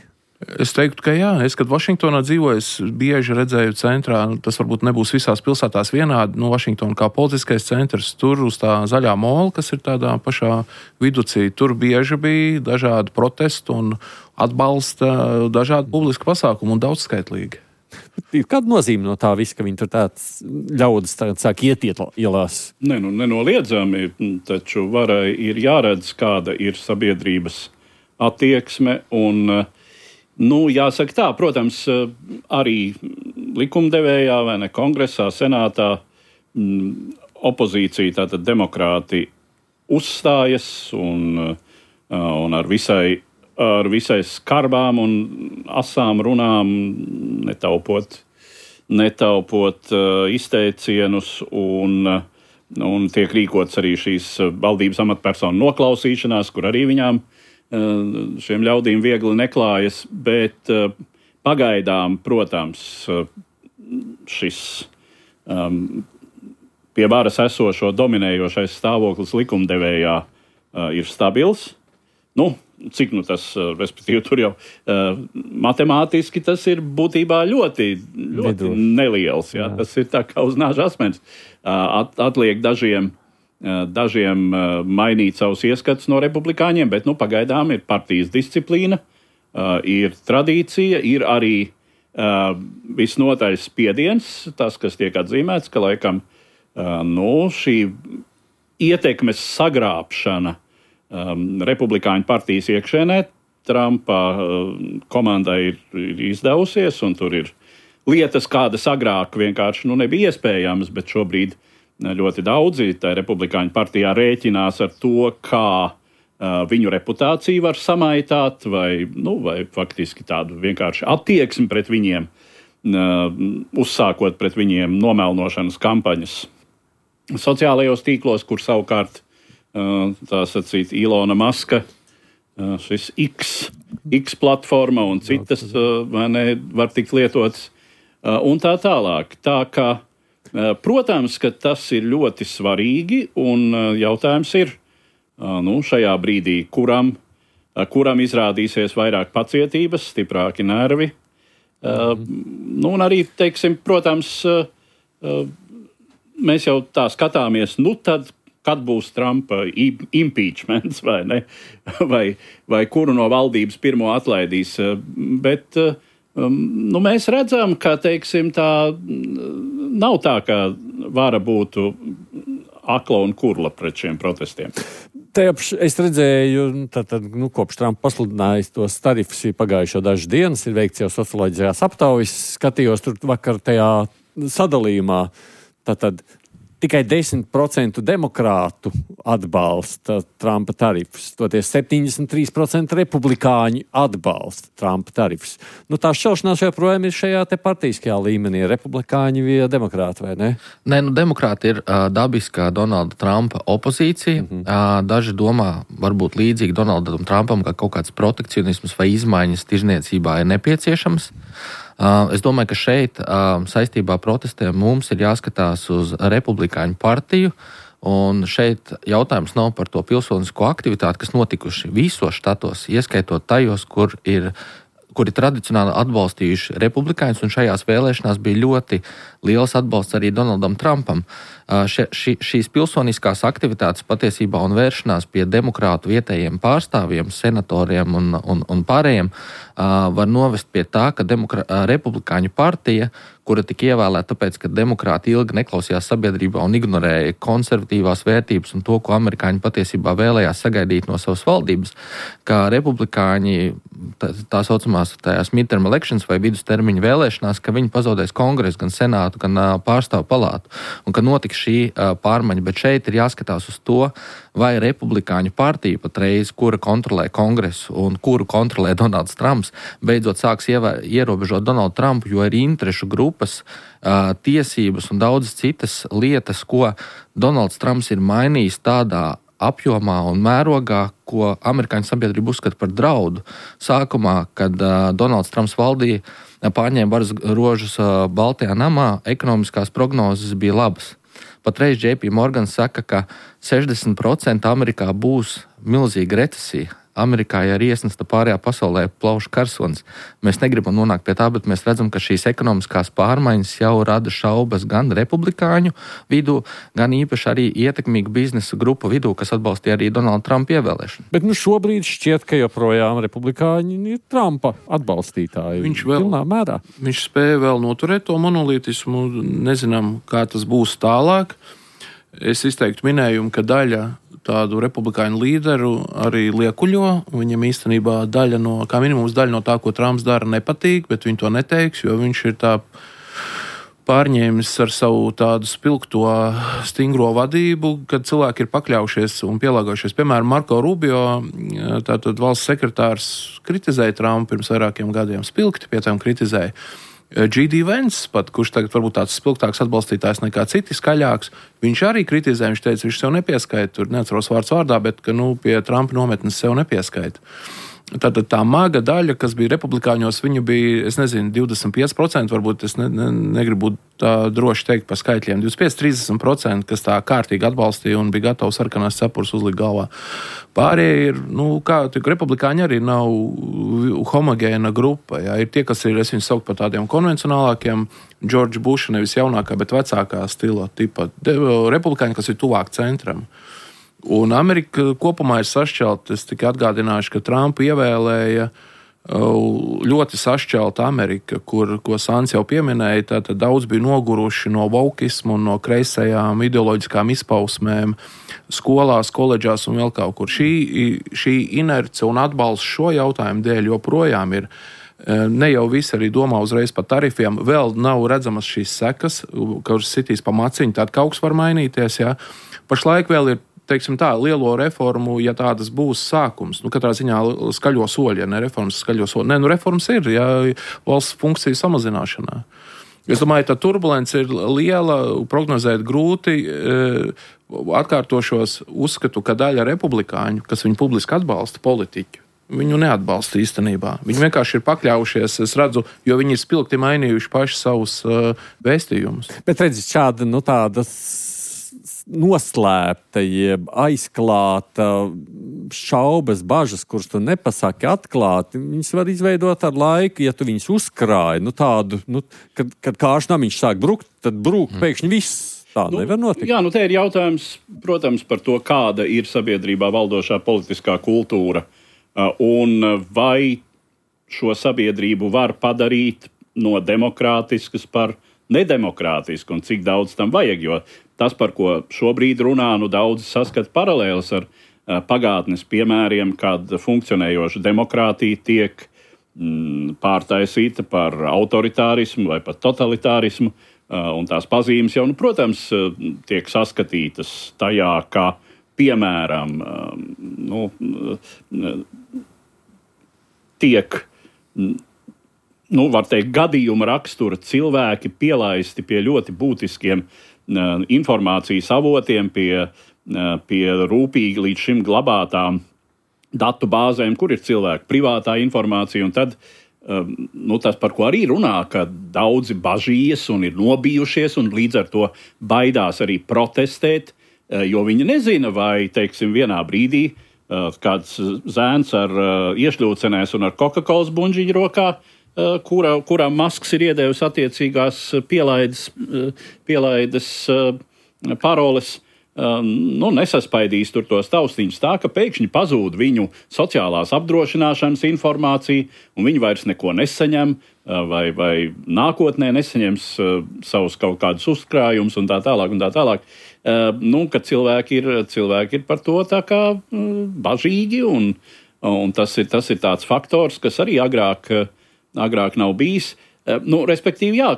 Es teiktu, ka jā. Es, kad Vašingtonā dzīvoju, es bieži redzēju centrā, tas varbūt nebūs visās pilsētās vienādi, Vašingtona kā politiskais centrs, tur uz tā zaļā mola, kas ir tādā pašā viducī, tur bieži bija dažādi protesti un atbalsta dažādi publiski pasākumi un daudzskaitlīgi. Kāda nozīme no tā visa, ka viņi tur tāds ļaudis sāk iet ielās? Nenoliedzami, taču varai ir jāredz, kāda ir sabiedrības attieksme un jāsaka tā, protams, arī likumdevējā vai ne Kongresā, Senātā opozīcija, tātad demokrāti uzstājas un ar visai skarbām un asām runām, netaupot izteicienus un Un tiek rīkots arī šīs valdības amatpersonu noklausīšanās, kur arī viņām šiem ļaudīm viegli neklājas. Bet pagaidām, protams, šis pie varas esošo dominējošais stāvoklis likumdevējā ir stabils. Cik tas, respektīvi, tur jau matemātiski tas ir būtībā ļoti neliels. Jā. Tas ir tā kā uz nāža asmens. Atliek dažiem mainīt savus ieskatus no republikāņiem, bet pagaidām ir partijas disciplīna, ir tradīcija, ir arī visnotaļ spiediens, tas, kas tiek atzīmēts, ka laikam šī ietekmes sagrābšana republikāņu partijas iekšēnē Trumpa komandai ir izdevusies, un tur ir lietas, kādas agrāk vienkārši nebija iespējamas, bet šobrīd ļoti daudzi tā republikāņu partijā rēķinās ar to, kā viņu reputāciju var samaitāt, vai faktiski tādu vienkārši attieksmi pret viņiem, uzsākot pret viņiem nomelnošanas kampaņas sociālajos tīklos, kur savukārt tā sacīt Ilona Maska, šis X platforma un citas var tikt lietotas un tā tālāk. Tā kā, protams, ka tas ir ļoti svarīgi un jautājums ir, šajā brīdī, kuram izrādīsies vairāk pacietības, stiprāki nervi. Un arī, teiksim, protams, mēs jau tā skatāmies, tad, kad būs Trumpa impeachments vai ne, vai kuru no valdības pirmo atlaidīs. Bet mēs redzam, ka, teiksim, tā nav tā, ka vara būtu akla un kurla pret šiem protestiem. Es redzēju, kopš Trumpa pasludinājis tos tarifus pagājušo dažas dienas, ir veikts jau socioloģiskās aptaujas, skatījos tur vakar tajā sadalījumā, tikai 10% demokrātu atbalsta Trumpa tarifus, toties 73% republikāņu atbalsta Trumpa tarifus. Tā šķelšanās joprojām ir šajā te partijiskajā līmenī, republikāņi vai demokrāti, vai ne? Nē, demokrāti ir dabiskā Donalda Trumpa opozīcija. Daži domā, varbūt līdzīgi Donaldam Trumpam, ka kaut kāds protekcionisms vai izmaiņas tirzniecībā ir nepieciešams. Es domāju, ka šeit saistībā ar protestiem mums ir jāskatās uz republikāņu partiju, un šeit jautājums nav par to pilsonisko aktivitāti, kas notikuši visos štatos, ieskaitot tajos, kuri tradicionāli atbalstījuši republikāņus, un šajās vēlēšanās bija ļoti liels atbalsts arī Donaldam Trumpam. Šīs pilsoniskās aktivitātes patiesībā un vēršanās pie demokrātu vietējiem pārstāvjiem, senatoriem un pārējiem var novest pie tā, ka republikāņu partija, kura tika ievēlēta tāpēc, ka demokrāti ilgi neklausījās sabiedrībā un ignorēja konservatīvās vērtības un to, ko amerikāņi patiesībā vēlējās sagaidīt no savas valdības, ka republikāņi tā saucamās tajās midterm elections vai vidustermiņa vēlēšanās, ka viņi pazaudēs kongresu, gan senātu, gan pārstāvu palātu, un ka notiks šī pārmaiņa, bet šeit ir jāskatās uz to, vai republikāņu partija patreiz, kura kontrolē kongresu un kuru kontrolē Donalds Trumps, beidzot sāks ierobežot Donaldu Trumpu, jo ir interešu grupas, tiesības un daudzas citas lietas, ko Donalds Trumps ir mainījis tādā apjomā un mērogā, ko amerikāņu sabiedrība uzskata par draudu. Sākumā, kad Donalds Trumps valdīja, pārņēma varas rožus Baltajā namā, ekonomiskās prognozes bija labas. Patreiz JP Morgan saka, ka 60% Amerikā būs milzīga recesija. Amerikā ir iesnesta pārējā pasaulē plaušu karsonis. Mēs negribam nonākt pie tā, bet mēs redzam, ka šīs ekonomiskās pārmaiņas jau rada šaubas gan republikāņu vidū, gan īpaši arī ietekmīgu biznesa grupu vidū, kas atbalstīja arī Donalda Trumpa ievēlēšanu. Bet šobrīd šķiet, ka joprojām republikāņi ir Trumpa atbalstītāji. Viņš spēja vēl noturēt to monolītismu, nezinām, kā tas būs tālāk. Es izteiktu minējumu, ka daļa tādu republikāņu līderu arī liekuļo. Viņam īstenībā kā minimums daļa no tā, ko Trumps dara, nepatīk, bet viņi to neteiks, jo viņš ir tā pārņēmis ar savu tādu spilgto, stingro vadību, kad cilvēki ir pakļaujušies un pielāgojušies. Piemēram, Marko Rubio, tātad valsts sekretārs, kritizēja Trumpu pirms vairākiem gadiem, spilgti pie tām kritizēja. G.D. Vance, pat, kurš tagad varbūt tāds spilgtāks atbalstītājs nekā citi skaļāks, viņš arī kritizē, viņš teica, viņš sev nepieskaita, tur neatceros vārds vārdā, bet ka, pie Trumpa nometnes sev nepieskaita. Tātad tā maga daļa, kas bija republikāņos, viņa bija, 25%, varbūt es negribu būt tā droši teikt par skaitļiem, 25-30%, kas tā kārtīgi atbalstīja un bija gatavs sarkanās cepures uzlikt galvā. Pārējie ir, republikāņi arī nav homogēna grupa, jā, ir tie, kas ir, es viņus saukt par tādiem konvencionālākiem, George Busha, nevis jaunākā, bet vecākā stila tipa republikāņi, kas ir tuvāk centram. Un Amerika kopumā ir sašķelta. Es tikai atgādināšu, ka Trumpu ievēlēja ļoti sašķelta Amerika, ko Sāns jau pieminēja. Tātad daudz bija noguruši no vokismu un no kreisajām ideoloģiskām izpausmēm skolās, koledžās un vēl kaut kur. Šī inerce un atbalsts šo jautājumu dēļ joprojām ir. Ne jau visi arī domā uzreiz par tarifiem. Vēl nav redzamas šīs sekas, kuras sitīs pa maciņu, tad kaut kas var mainīties. Jā. Pašlaik vēl ir, teiksim tā, lielo reformu, ja tādas būs sākums. Katrā ziņā skaļo soļi, ja ne reformas, skaļo soļi. Reformas ir, ja valsts funkciju samazināšanā. Es domāju, tā turbulence ir liela, prognozēt grūti. Atkārtošos uzskatu, ka daļa republikāņu, kas viņu publiski atbalsta politiķu, viņu neatbalsta īstenībā. Viņi vienkārši ir pakļaujušies, es redzu, jo viņi ir spilgti mainījuši paši savus vēstījumus. Bet redzi, šāda, tādas noslēpta, jeb aizklāta šaubas, bažas, kuras tu nepasaki atklāti, viņas var izveidot ar laiku, ja tu viņus uzkrāji, tādu, kad kāršnamiņš sāk brukt, tad brūk pēkšņi viss. Tā nevar notikt. Jā, te ir jautājums, protams, par to, kāda ir sabiedrībā valdošā politiskā kultūra, un vai šo sabiedrību var padarīt no demokrātiskas par nedemokrātisku, un cik daudz tam vajag, jo tas, par ko šobrīd runā, daudzi saskata paralēlas ar pagātnes piemēriem, kad funkcionējoša demokrātija tiek pārtaisīta par autoritārismu vai pat totalitārismu, un tās pazīmes jau, protams, tiek saskatītas tajā, kā piemēram, tiek var teikt, gadījuma rakstura cilvēki pielaisti pie ļoti būtiskiem informācijas avotiem, pie rūpīgi līdz šim glabātām datu bāzēm, kur ir cilvēku privātā informācija. Un tad tas, par ko arī runā, ka daudzi bažījas un ir nobijušies un līdz ar to baidās arī protestēt, jo viņi nezina, vai, teiksim, vienā brīdī kāds zēns ar iešļūcenēs un ar Coca-Colas buņģiņu rokā, kurām Masks ir iedevis attiecīgās pielaides paroles, nesaspaidīs tur tos taustiņus tā, ka pēkšņi pazūd viņu sociālās apdrošināšanas informācija, un viņi vairs neko nesaņem, vai nākotnē nesaņems savus kaut kādus uzkrājumus un tā tālāk. Ka cilvēki ir par to tā kā bažīgi, un tas ir tāds faktors, kas arī agrāk nav bijis. Respektīvi, jā,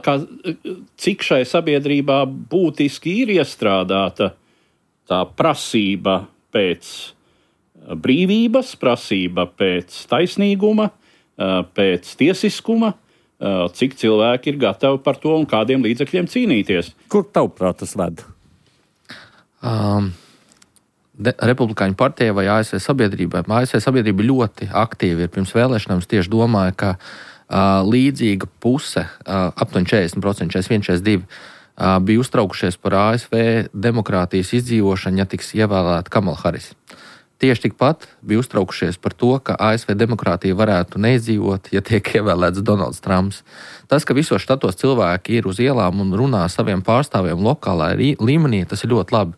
cik šai sabiedrībā būtiski ir iestrādāta tā prasība pēc brīvības, prasība pēc taisnīguma, pēc tiesiskuma, cik cilvēki ir gatavi par to un kādiem līdzekļiem cīnīties. Kur tavuprāt tas ved? Republikāņu partijai vai ASV sabiedrībai. ASV sabiedrība ļoti aktīvi ir pirms vēlēšanām. Es tieši domāju, ka līdzīga puse, aptuveni 40%, 41-42%, bija uztraukušies par ASV demokrātijas izdzīvošanu, ja tiks ievēlēta Kamala Harris. Tieši tikpat bija uztraukušies par to, ka ASV demokrātija varētu neizdzīvot, ja tiek ievēlēts Donalds Trumps. Tas, ka visos štatos cilvēki ir uz ielām un runā saviem pārstāvjiem lokālā līmenī, tas ir ļoti labi,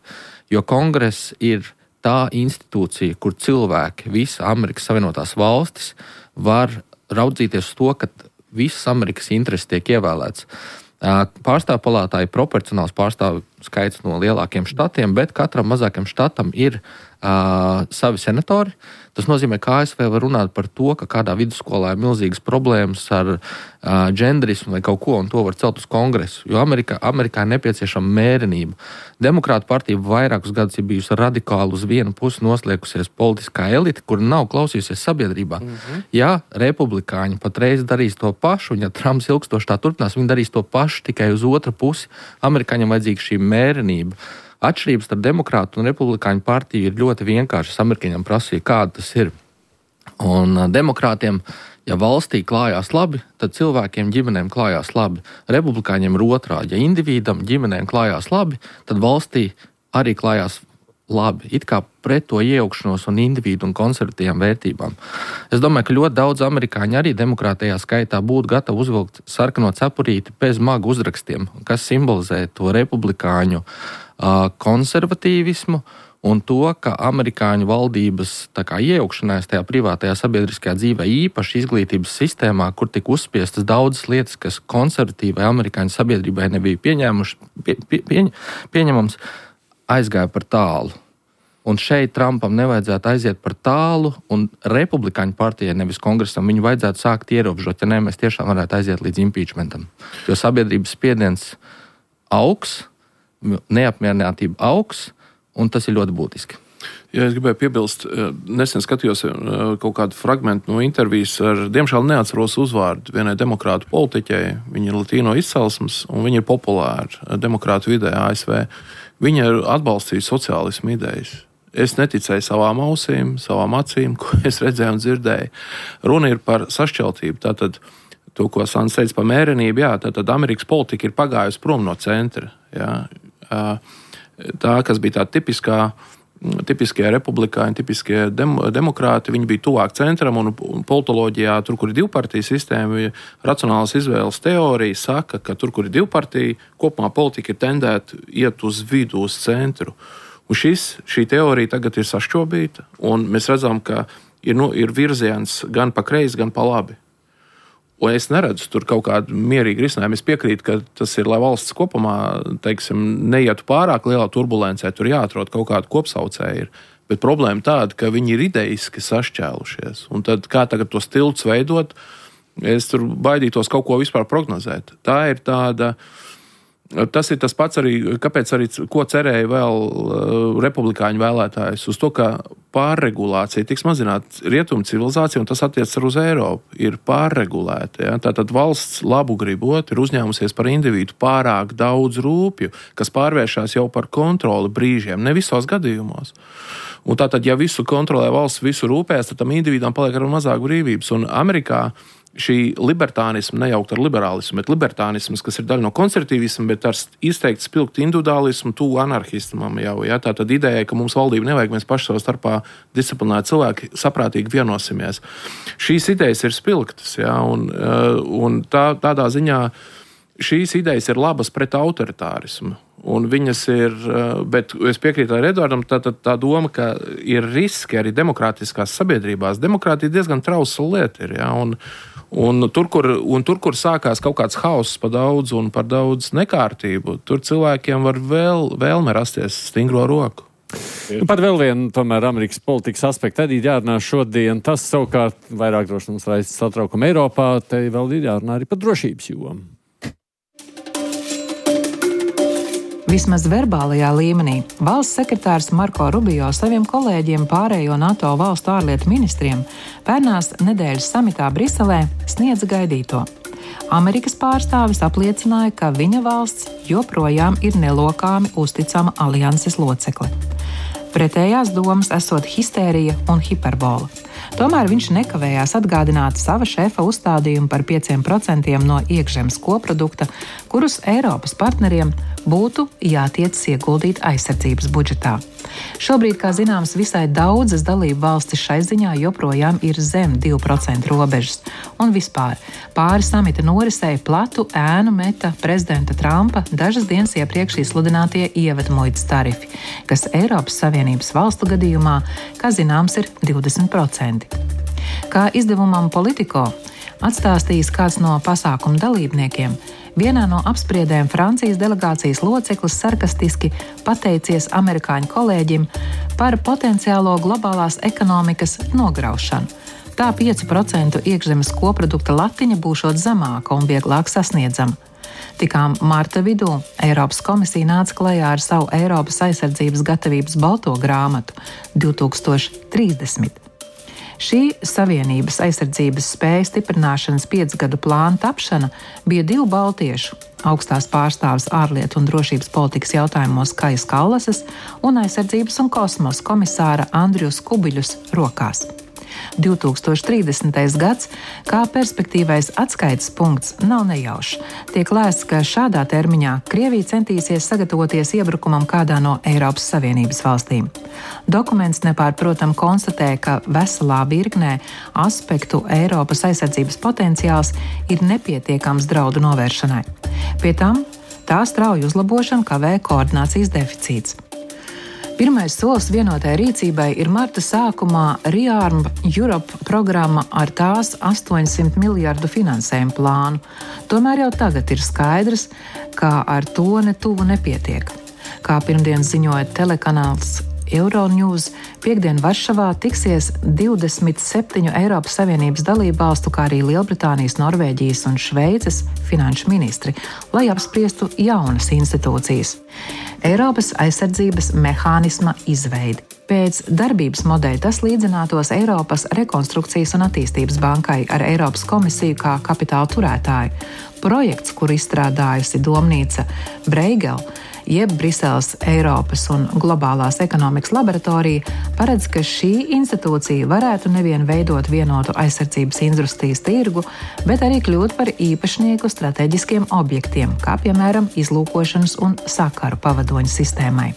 jo Kongress ir tā institūcija, kur cilvēki, visa Amerikas Savienotās valstis, var raudzīties uz to, ka visas Amerikas intereses tiek ievēlēts. Pārstāvju palātā ir proporcionāls pārstāvju skaits no lielākiem štatiem, bet katram mazākiem štatam ir savi senatori. Tas nozīmē, ka ASV var runāt par to, ka kādā vidusskolā ir milzīgas problēmas ar dženderismu vai kaut ko, un to var celt uz kongresu, jo Amerikā ir nepieciešama mērenība. Demokrātu partija vairākus gadus ir bijusi radikāli uz vienu pusi noslēgusies politiskā elite, kur nav klausījusies sabiedrībā. Ja republikāņi patreiz darīs to pašu, un ja Trumps ilgstoši tā turpinās, viņi darīs to pašu tikai uz otru pusi, amerikāņiem vajadzīga šī mērenība. Atšķirības starp demokrātu un republikāņu partiju ir ļoti vienkāršas. Amerikāņiem prasīja, kāda tas ir. Un demokrātiem, ja valstī klājās labi, tad cilvēkiem, ģimenēm klājās labi. Republikāņiem ir otrādi. Ja individam, ģimenēm klājās labi, tad valstī arī klājās labi. It kā pret to iejaukšanos un individu un konservatīvām vērtībām. Es domāju, ka ļoti daudz amerikāņi arī demokrātajā skaitā būtu gatavi uzvilkt sarkano cepurīti bez magu uzrakstiem, kas simbolizē to republikāņu konservatīvismu un to, ka amerikāņu valdības iejaukšanās tajā privātajā sabiedriskajā dzīvē, īpaši izglītības sistēmā, kur tika uzspiestas daudzas lietas, kas konservatīvai amerikāņu sabiedrībai nebija pieņemams, aizgāja par tālu. Un šeit Trumpam nevajadzētu aiziet par tālu, un republikāņu partijai, nevis kongresam, viņu vajadzētu sākt ierobežot, ja ne, mēs tiešām varētu aiziet līdz impeachmentam. Jo sabiedrības spiediens augs, neapmierinātība augs, un tas ir ļoti būtiski. Ja es gribēju piebilst, nesen skatījos kaut kādu fragmentu no intervijas ar, diemžēl neatceros uzvārdu vienai demokrātu politiķei. Viņa ir latīno izcelsmes, un viņa ir populāra demokrātu vidē ASV. Viņa ir atbalstījusi sociālismu idejas. Es neticēju savām ausīm, savām acīm, ko es redzēju un dzirdēju. Runa ir par sašķeltību. Tātad, to, ko Sants teica par mērenību, jā, tātad Amerikas politika ir pagājusi prom no centra. Jā. Tā, kas bija tā tipiskie republikāņi, tipiskie demokrāti, viņi bija tuvāk centram, un politoloģijā, tur, kur ir divpartiju sistēma, racionālas izvēles teorija saka, ka tur, kur ir divpartija, kopumā politika ir tendēta iet uz vidu, uz centru. Un šī teorija tagad ir sašķobīta, un mēs redzam, ka ir virziens gan pa kreisi, gan pa labi. Un es neredzu tur kaut kādu mierīgu risinājumu. Es piekrītu, ka tas ir, lai valsts kopumā, teiksim, neietu pārāk lielā turbulencē, tur jāatrod kaut kādu kopsaucēju. Bet problēma tāda, ka viņi ir ideiski sašķēlušies. Un tad kā tagad tos tiltus veidot, es tur baidītos kaut ko vispār prognozēt. Tā ir tāda... Tas ir tas pats arī, kāpēc arī, ko cerēja vēl republikāņu vēlētājs, uz to, ka pārregulācija tiks mazināta rietumu civilizācija, un tas attiec arī uz Eiropu, ir pārregulēta. Ja? Tātad valsts labu gribot ir uzņēmusies par individu pārāk daudz rūpju, kas pārvēršās jau par kontroli brīžiem, ne visos gadījumos. Un tātad, ja visu kontrolē valsts, visu rūpēs, tad tam individam paliek ar mazāk brīvības. Un Amerikā šī libertānisma, nejaukt ar liberālismu, bet libertānisms, kas ir daļa no konservatīvisma, bet ar izteikti spilgtu individuālismu, tuvu anarhismam jau. Ja? Tā tad ideja, ka mums valdība nevajag, mēs paši savā starpā disciplinēti cilvēki saprātīgi vienosimies. Šīs idejas ir spilgtas, ja? Un tādā ziņā šīs idejas ir labas pret autoritārismu. Un viņas ir, bet es piekrītu ar Edvardam, tā doma, ka ir riski arī demokrātiskās sabiedrībās. Demokrātija diezgan trausla lieta ir, ja? Un tur, kur sākās kaut kāds hauss par daudz nekārtību, tur cilvēkiem var vēlme rasties stingro roku. Par vēl vienu, tomēr, Amerikas politikas aspektu arī jārunā šodien. Tas savukārt vairāk droši mums raisa satraukumu Eiropā, te vēl ir jārunā arī par drošības jomu. Vismaz verbālajā līmenī valsts sekretārs Marko Rubio saviem kolēģiem pārējo NATO valstu ārlietu ministriem pērnās nedēļas samitā Briselē sniedza gaidīto. Amerikas pārstāvis apliecināja, ka viņa valsts joprojām ir nelokāmi uzticama alianses locekle. Pretējās domas esot histērija un hiperbola. Tomēr viņš nekavējās atgādināt sava šefa uzstādījumu par 5% no iekšzemes koprodukta, kurus Eiropas partneriem būtu jātiecas ieguldīt aizsardzības budžetā. Šobrīd, kā zināms, visai daudzas dalību valstis šai ziņā joprojām ir zem 2% robežas. Un vispār, pāri samita norisei platu ēnu meta prezidenta Trumpa dažas dienas iepriekš izsludinātie ievedmuitas tarifi, kas Eiropas Savienības valstu gadījumā, kā zināms, ir 20%. Kā izdevumam Politico atstāstījis kāds no pasākumu dalībniekiem, Vienā no apspriedēm Francijas delegācijas loceklis sarkastiski pateicies amerikāņu kolēģim par potenciālo globālās ekonomikas nograušanu. Tā 5% iekšzemes koprodukta latiņa būšot zemāka un vieglāk sasniedzama. Tikām marta vidū Eiropas komisija nāca klajā ar savu Eiropas aizsardzības gatavības balto grāmatu 2030. Šī Savienības aizsardzības spēju stiprināšanas 5-gadu plāna tapšana bija 2 baltiešu augstās pārstāves ārlietu un drošības politikas jautājumos Kajas Kallasas un aizsardzības un kosmosa komisāra Andrius Kubiļus rokās. 2030. gads, kā perspektīvais atskaites punkts, nav nejaušs. Tiek lēsts, ka šādā termiņā Krievija centīsies sagatavoties iebrukumam kādā no Eiropas Savienības valstīm. Dokuments nepārprotam konstatē, ka veselā virknē aspektu Eiropas aizsardzības potenciāls ir nepietiekams draudu novēršanai. Pie tam tā strauja uzlabošana kavē koordinācijas deficīts. Pirmais solis vienotai rīcībai ir marta sākumā Rearm Europe programma ar tās 800 miljardu finansējumu plānu. Tomēr jau tagad ir skaidrs, ka ar to netuvu nepietiek. Kā pirmdien ziņoja telekanāls Euronews, piekdien Varšavā tiksies 27 Eiropas Savienības dalībvalstu, kā arī Lielbritānijas, Norvēģijas un Šveices finanšu ministri, lai apspriestu jaunas institūcijas. Eiropas aizsardzības mehānisma izveidi. Pēc darbības modeļa tas līdzinātos Eiropas rekonstrukcijas un attīstības bankai ar Eiropas komisiju kā kapitāla turētāju. Projekts, kur izstrādājusi domnīca Bruegel, jeb Briseles Eiropas un globālās ekonomikas laboratorija, paredz, ka šī institūcija varētu nevien veidot vienotu aizsardzības industrijas tirgu, bet arī kļūt par īpašnieku strateģiskiem objektiem, kā piemēram izlūkošanas un sakaru pavadoņu sistēmai.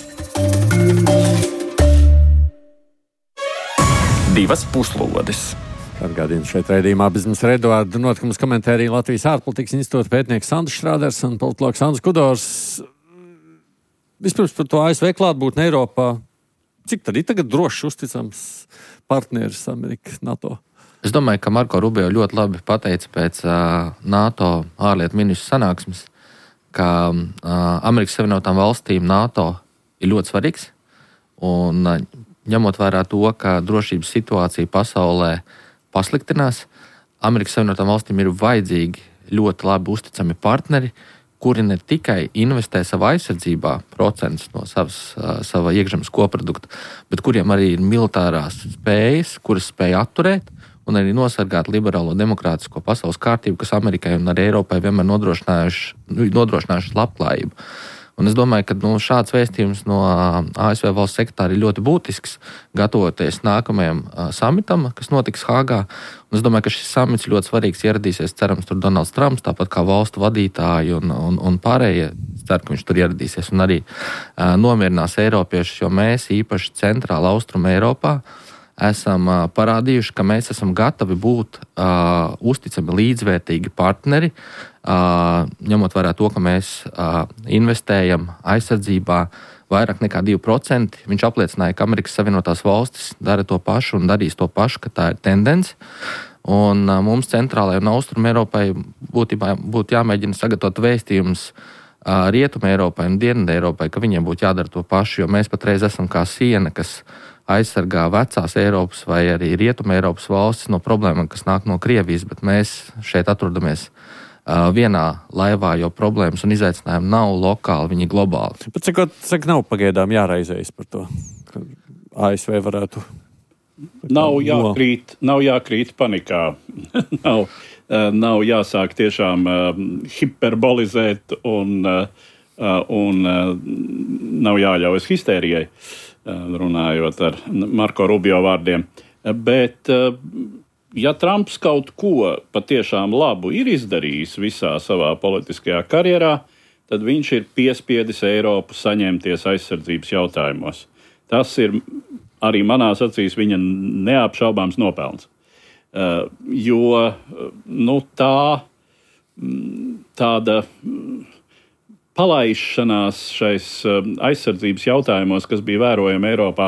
2 puslodes. Atgādījums šeit raidījumā Biznesa Eduarda notikumus komentē arī Latvijas ārpolitikas institūta pētnieks Sandrs Šrāders un politologs Andris Kudors. Vispirms par to ASV klātbūtni Eiropā. Cik tad ir tagad drošs, uzticams partneris Amerika, NATO? Es domāju, ka Marko Rubio ļoti labi pateica pēc NATO ārlietu ministru sanāksmes, ka Amerikas Savienotām valstīm NATO ir ļoti svarīgs. Un ņemot vērā to, ka drošības situācija pasaulē pasliktinās, Amerikas Savienotām valstīm ir vajadzīgi ļoti labi uzticami partneri, kuri ne tikai investē savā aizsardzībā procentus no sava iekšzemes koprodukta, bet kuriem arī ir militārās spējas, kuras spēj atturēt un arī nosargāt liberālo demokrātisko pasaules kārtību, kas Amerikai un arī Eiropai vienmēr nodrošinājuši labklājību. Un es domāju, ka šāds vēstījums no ASV valsts sekretāra ir ļoti būtisks, gatavoties nākamajam samitam, kas notiks Hāgā. Un es domāju, ka šis samits ļoti svarīgs, ieradīsies, cerams, tur Donalds Trumps, tāpat kā valstu vadītāji un pārējie. Ceru, ka viņš tur ieradīsies un arī nomierinās eiropiešus, jo mēs īpaši centrāla austruma Eiropā esam parādījuši, ka mēs esam gatavi būt uzticami līdzvērtīgi partneri, ņemot vērā to, ka mēs investējam aizsardzībā vairāk nekā 2%. Viņš apliecināja, ka Amerikas Savienotās valstis dara to pašu un darīs to pašu, ka tā ir tendence. Un mums centrālajai un austrumu Eiropai būtu jāmēģina sagatavot vēstījumus Rietumu Eiropai un Dienvidu Eiropai, ka viņiem būtu jādara to pašu, jo mēs patreiz esam kā siena, kas aizsargā vecās Eiropas vai arī Rietuma Eiropas valstis no problēmām, kas nāk no Krievijas, bet mēs šeit atrodamies vienā laivā, jo problēmas un izaicinājumi nav lokāli, viņi ir globāli. Bet cik nav pagaidām jāraizējas par to, ka ASV varētu... Nav jākrīt panikā. nav jāsāk tiešām hiperbolizēt un nav jāļaujas histērijai, runājot ar Marko Rubio vārdiem. Bet, ja Trumps kaut ko patiešām labu ir izdarījis visā savā politiskajā karjerā, tad viņš ir piespiedis Eiropu saņemties aizsardzības jautājumos. Tas ir arī manās acīs viņa neapšaubāms nopelns. Jo tāda palaišanās šais aizsardzības jautājumos, kas bija vērojama Eiropā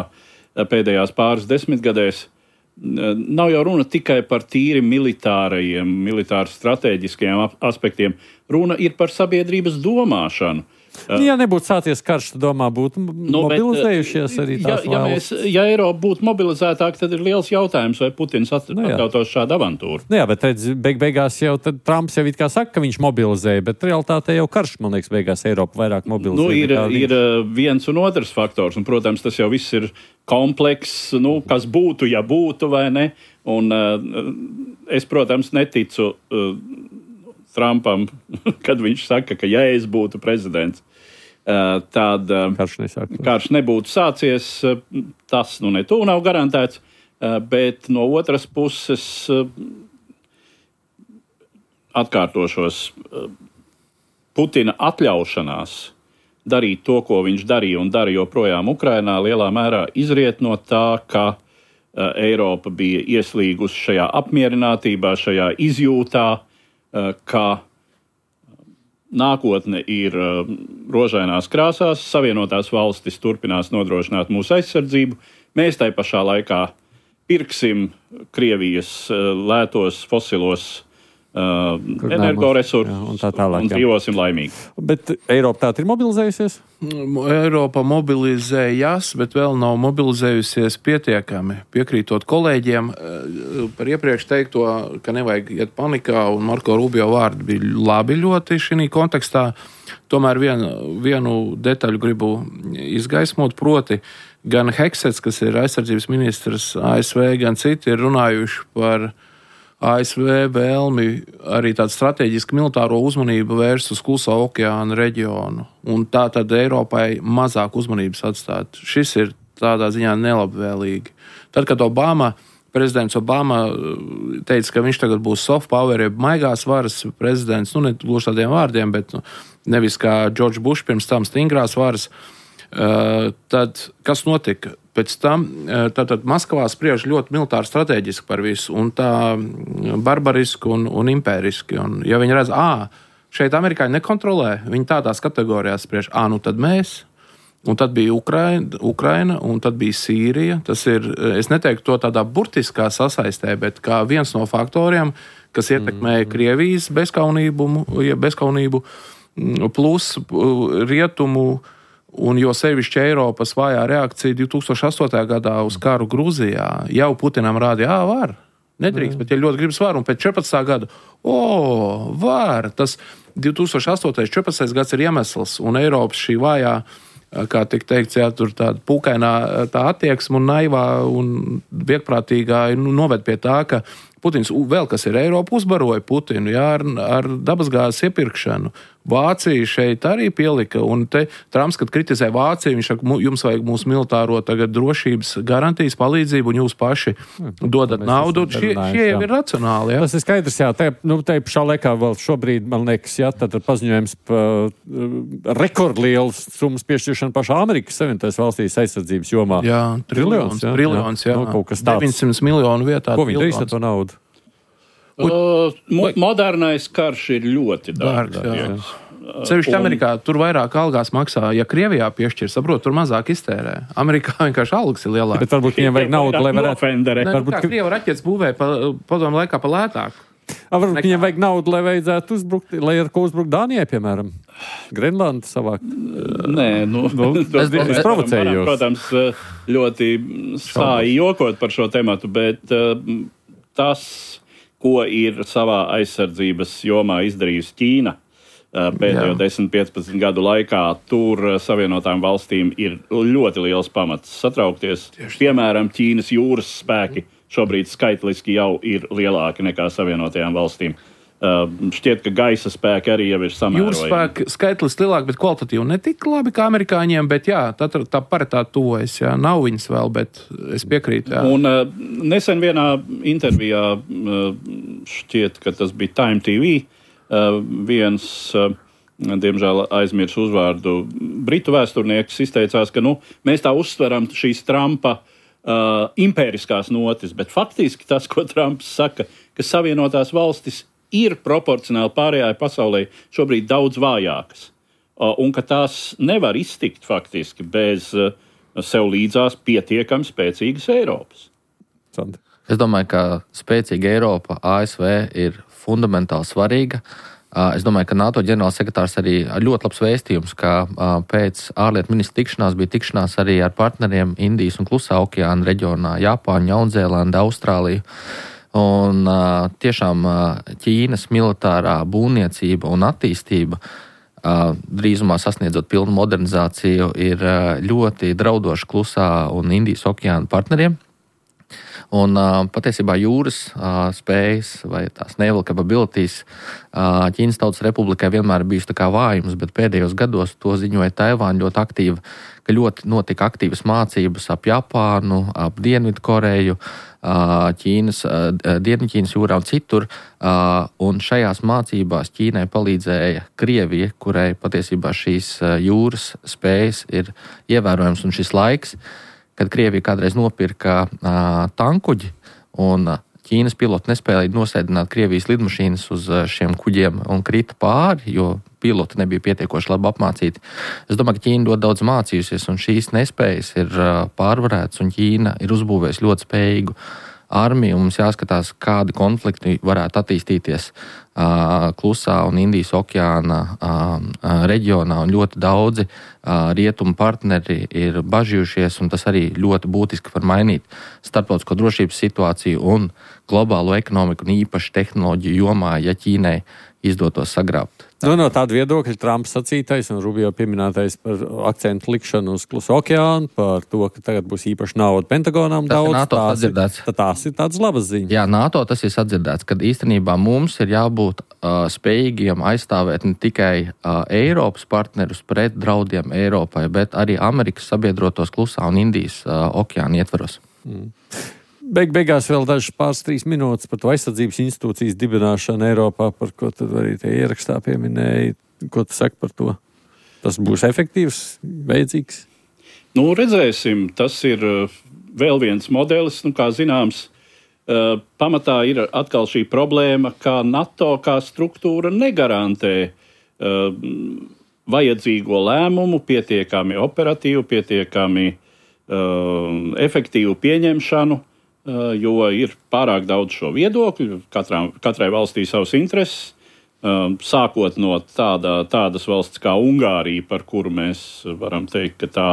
pēdējās pāris desmitgadēs, nav jau runa tikai par tīri militāru strateģiskajiem aspektiem. Runa ir par sabiedrības domāšanu. Ja nebūtu sācies karš, tad domā būtu mobilizējušies arī tās valstis. Ja Eiropa būtu mobilizētāka, tad ir liels jautājums, vai Putins atļautos šādu avantūru. Jā, bet redz, beigās jau Trumps jau it kā saka, ka viņš mobilizēja, bet realitātē jau karš, man liekas, beigās Eiropa vairāk mobilizēja. Ir viens un otrs faktors, un, protams, tas jau viss ir komplekss, kas būtu, ja būtu vai ne. Un es, protams, neticu Trumpam, kad viņš saka, ka ja es būtu prezidents, tad karš nebūtu sācies. Tas netūlīt nav garantēts, bet no otras puses atkārtošos Putina atļaušanās darīt to, ko viņš darīja un dara joprojām Ukrainā, lielā mērā izriet no tā, ka Eiropa bija ieslīgusi šajā apmierinātībā, šajā izjūtā, ka nākotne ir rožainās krāsās, Savienotās valstis turpinās nodrošināt mūsu aizsardzību. Mēs tai pašā laikā pirksim Krievijas lētos fosilos energoresursus un dzīvosim laimīgi. Bet Eiropa tā ir mobilizējusies? Eiropa mobilizējas, bet vēl nav mobilizējusies pietiekami. Piekrītot kolēģiem par iepriekš teikto, ka nevajag iet panikā, un Marko Rubio vārdi bija labi ļoti šī kontekstā. Tomēr vienu detaļu gribu izgaismot, proti gan Heksets, kas ir aizsardzības ministrs ASV, gan citi ir runājuši par ASV vēlmi arī tādu strateģisku militāro uzmanību vērst uz Klusā okeāna reģionu. Un tā tad Eiropai mazāk uzmanības atstāt. Šis ir tādā ziņā nelabvēlīgi. Tad, kad prezidents Obama teica, ka viņš tagad būs soft power, jeb maigās varas prezidents, ne gluži tādiem vārdiem, bet nevis kā George Bush pirms tam stingrās varas, tad kas notika? Pēc tam tātad Maskavā spriež ļoti militāri strateģiski par visu, un tā barbariski un impēriski. Un, ja viņi redz, šeit amerikāņi nekontrolē, viņi tādās kategorijās spriež, tad mēs. Un tad bija Ukraina, un tad bija Sīrija. Tas ir, es neteiktu to tādā burtiskā sasaistē, bet kā viens no faktoriem, kas ietekmēja Krievijas bezkaunību plus rietumu. Un jo sevišķi Eiropas vājā reakcija 2008. gadā uz karu Grūzijā jau Putinam rādīja, var, nedrīkst, bet ja ļoti gribas var, un pēc 14. gada, var, tas 2008.14. gads ir iemesls, un Eiropas šī vājā, kā tik teikts, tur tāda pūkainā tā attieksme un naivā un viegprātīgā noved pie tā, ka Putins vēl, kas ir Eiropa, uzbaroja Putinu ar dabasgāzes iepirkšanu. Vācija šeit arī pielika, un te Trumps, kad kritizē Vāciju, viņš saka, jums vajag mūsu militāro tagad drošības garantijas palīdzību, un jūs paši dodat naudu. Šie jau ir racionāli. Jā. Tas ir skaidrs, jā. Te pašā laikā vēl šobrīd, man liekas, tad ir paziņojums par rekordliels summas piešķiršanu pašā Amerikas Savienotās valstīs aizsardzības jomā. Jā, triljons, jā. Kaut kas tāds. 900 miljonu vietā. Ko viņi darīs ar to naudu? Modernais karš ir ļoti dārgs. Sevišķi Amerikā tur vairāk algās maksā. Ja Krievijā piešķir, saprot, tur mazāk iztērē. Amerikā vienkārši algas ir lielākas. Bet varbūt viņiem vajag naudu, lai varētu... Varbūt Krieva raķetes būvē padomu laikā pa lētāk. Varbūt viņiem vajag naudu, lai vajadzētu uzbrukt, lai ar ko uzbrukt Dānijai, piemēram. Grenlandu savāk. Nē, es provocēju jūs. Protams, ļoti sāji jokot par šo tematu, bet tas, ko ir savā aizsardzības jomā izdarījusi Ķīna pēdējo 10-15 gadu laikā, tur Savienotām valstīm ir ļoti liels pamats satraukties. Piemēram, Ķīnas jūras spēki šobrīd skaitliski jau ir lielāki nekā Savienotajām valstīm. Šķiet, ka gaisa spēki arī jau ir samērojami. Jūras spēki skaitliski lielāki, bet kvalitatīvi ne tik labi kā amerikāņiem, bet tā paritāte tuvojas. Nav viņas vēl, bet es piekrītu. Jā. Un nesen vienā intervijā, šķiet, ka tas bija Time TV, viens, diemžēl aizmirs uzvārdu, britu vēsturnieks izteicās, ka mēs tā uztveram šīs Trumpa impēriskās notis, bet faktiski tas, ko Trumps saka, ka Savienotās valstis ir proporcionāli pārējai pasaulē šobrīd daudz vājākas, un ka tās nevar iztikt faktiski bez sev līdzās pietiekami spēcīgas Eiropas. Es domāju, ka spēcīga Eiropa, ASV ir fundamentāli svarīga. Es domāju, ka NATO ģenerālsekretārs arī ļoti labs vēstījums, ka pēc ārlietu ministra tikšanās bija tikšanās arī ar partneriem Indijas un Klusā okeāna reģionā, Japāņu, Jaunzēlanda, Austrāliju. Un tiešām Ķīnas militārā būvniecība un attīstība, drīzumā sasniedzot pilnu modernizāciju, ir ļoti draudoša Klusā un Indijas okeāna partneriem. Un patiesībā jūras spējas vai tās naval capabilities Ķīnas Tautas Republikai vienmēr ir bijusi tā kā vājums, bet pēdējos gados to ziņoja Taivāna ļoti aktīvi, ka ļoti notika aktīvas mācības ap Japānu, ap Dienvidkoreju, Dienvidķīnas jūrā un citur. Un šajās mācībās Ķīnai palīdzēja Krievija, kurai patiesībā šīs jūras spējas ir ievērojams, un šis laiks, kad Krievija kādreiz nopirka tankuģi un Ķīnas piloti nespēja nosēdināt Krievijas lidmašīnas uz šiem kuģiem un krita pāri, jo piloti nebija pietiekoši labi apmācīti. Es domāju, ka Ķīna ļoti daudz mācījusies, un šīs nespējas ir pārvarētas, un Ķīna ir uzbūvējusi ļoti spējīgu armiju, un mums jāskatās, kādi konflikti varētu attīstīties Klusā un Indijas okeāna reģionā, un ļoti daudzi rietumu partneri ir bažījušies, un tas arī ļoti būtiski var mainīt starptautisko drošības situāciju un globālo ekonomiku, un īpaši tehnoloģiju jomā, ja Ķīnai izdotos sagrābt. No tāda viedokļa Trumps sacītais un Rubio pieminētais par akcentu likšanu uz Kluso okeānu, par to, ka tagad būs īpaši nauda Pentagonām daudz, tās ir tādas labas ziņas. Jā, NATO tas ir sadzirdēts, kad īstenībā mums ir jābūt spējīgiem aizstāvēt ne tikai Eiropas partnerus pret draudiem Eiropai, bet arī Amerikas sabiedrotos Klusā un Indijas okeāna ietvaros. Beigās vēl dažas pāris 3 minūtes par to aizsardzības institūcijas dibināšanu Eiropā, par ko tad arī tie ierakstā pieminēja. Ko tu saki par to? Tas būs efektīvs, vajadzīgs? Redzēsim, tas ir vēl viens modelis, kā zināms, pamatā ir atkal šī problēma, ka NATO kā struktūra negarantē vajadzīgo lēmumu, pietiekami operatīvu, pietiekami efektīvu pieņemšanu, jo ir pārāk daudz šo viedokļu, katrai valstī savas intereses, sākot no tādas valsts kā Ungārija, par kuru mēs varam teikt, ka tā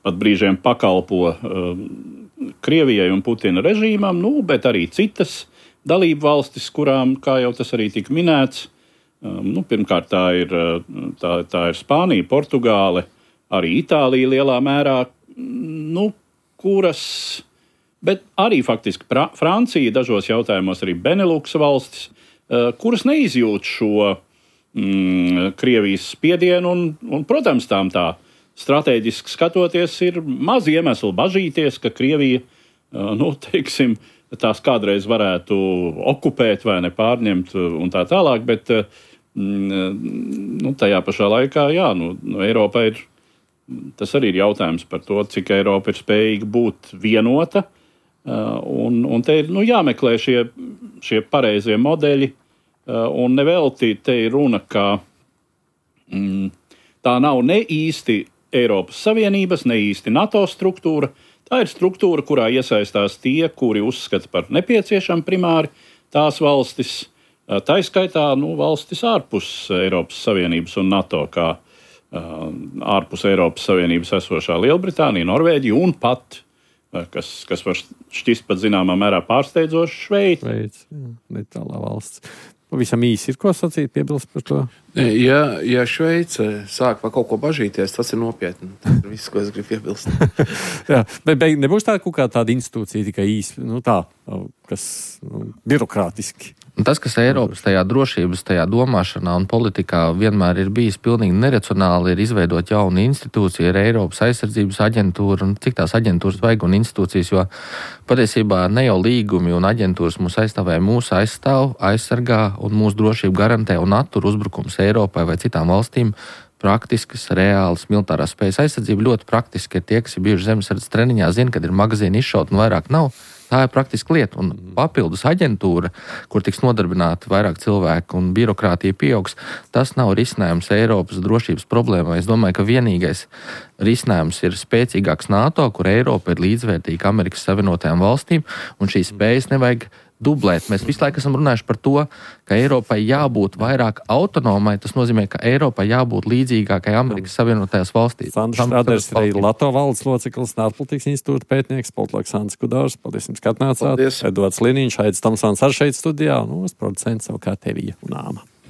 pat brīžiem pakalpo Krievijai un Putina režīmam, bet arī citas dalību valstis, kurām, kā jau tas arī tika minēts, pirmkārt tā ir Spānija, Portugāle, arī Itālija lielā mērā, kuras, bet arī faktiski Francija, dažos jautājumos arī Beneluksa valstis, kuras neizjūt šo Krievijas spiedienu, un protams, tām tā stratēģiski skatoties ir maz iemeslu bažīties, ka Krievija, tās kādreiz varētu okupēt vai nepārņemt un tā tālāk, bet tajā pašā laikā, Eiropa ir, tas arī ir jautājums par to, cik Eiropa ir spējīga būt vienota, un te ir jāmeklē šie pareizie modeļi, un nevelti te ir runa, ka tā nav ne īsti Eiropas Savienības, ne īsti NATO struktūra. Tā ir struktūra, kurā iesaistās tie, kuri uzskata par nepieciešamu primāri tās valstis, tā izskaitā valstis ārpus Eiropas Savienības un NATO, kā ārpus Eiropas Savienības esošā Lielbritānija, Norvēģija un pat, kas var šķist pat zināmā mērā pārsteidzoši, Šveice. Netālā valsts. Pavisam īsi ir ko sacīt, piebilst par to? Ja Šveice sāk par kaut ko bažīties, tas ir nopietni. Tas ir viss, ko es gribu piebilst. Jā, bet nebūs tā kaut kā tāda institūcija tikai īsi, kas birokrātiski. Tas, kas Eiropas tajā drošības, tajā domāšanā un politikā vienmēr ir bijis pilnīgi neracionāli, ir izveidot jaunu institūciju, ir Eiropas aizsardzības aģentūra, un cik tās aģentūras vajag un institūcijas, jo patiesībā ne jau līgumi un aģentūras mūs aizstāvē, mūs aizstāv, aizsargā un mūsu drošību garantē un attur uzbrukums Eiropai vai citām valstīm. Praktiskas, reālas militārās spējas aizsardzība ļoti praktiski ir tie, kas ir bijuši zemesardzes treniņā, zina, kad ir magazīni izšaut un vairāk nav. Tā ir praktiski lieta, un papildus aģentūra, kur tiks nodarbināti vairāk cilvēku un birokrātija pieaugs, tas nav risinājums Eiropas drošības problēmai. Es domāju, ka vienīgais risinājums ir spēcīgāks NATO, kur Eiropa ir līdzvērtīga Amerikas Savienotajām valstīm, un šīs spējas nevajag dublēt. Mēs visu laiku esam runājuši par to, ka Eiropai jābūt vairāk autonomai. Tas nozīmē, ka Eiropai jābūt līdzīgākai Amerikas Savienotajās valstīs. Sandrs Strāders ir arī NATO valdes loceklis, ārpolitikas institūta pētnieks, politologs Sandrs Kudors. Paldies jums, ka atnācāt. Edvards Liniņš, Aidis Tomsons ar šeit studijā, un mūsu producents savukārt Evija un Āma.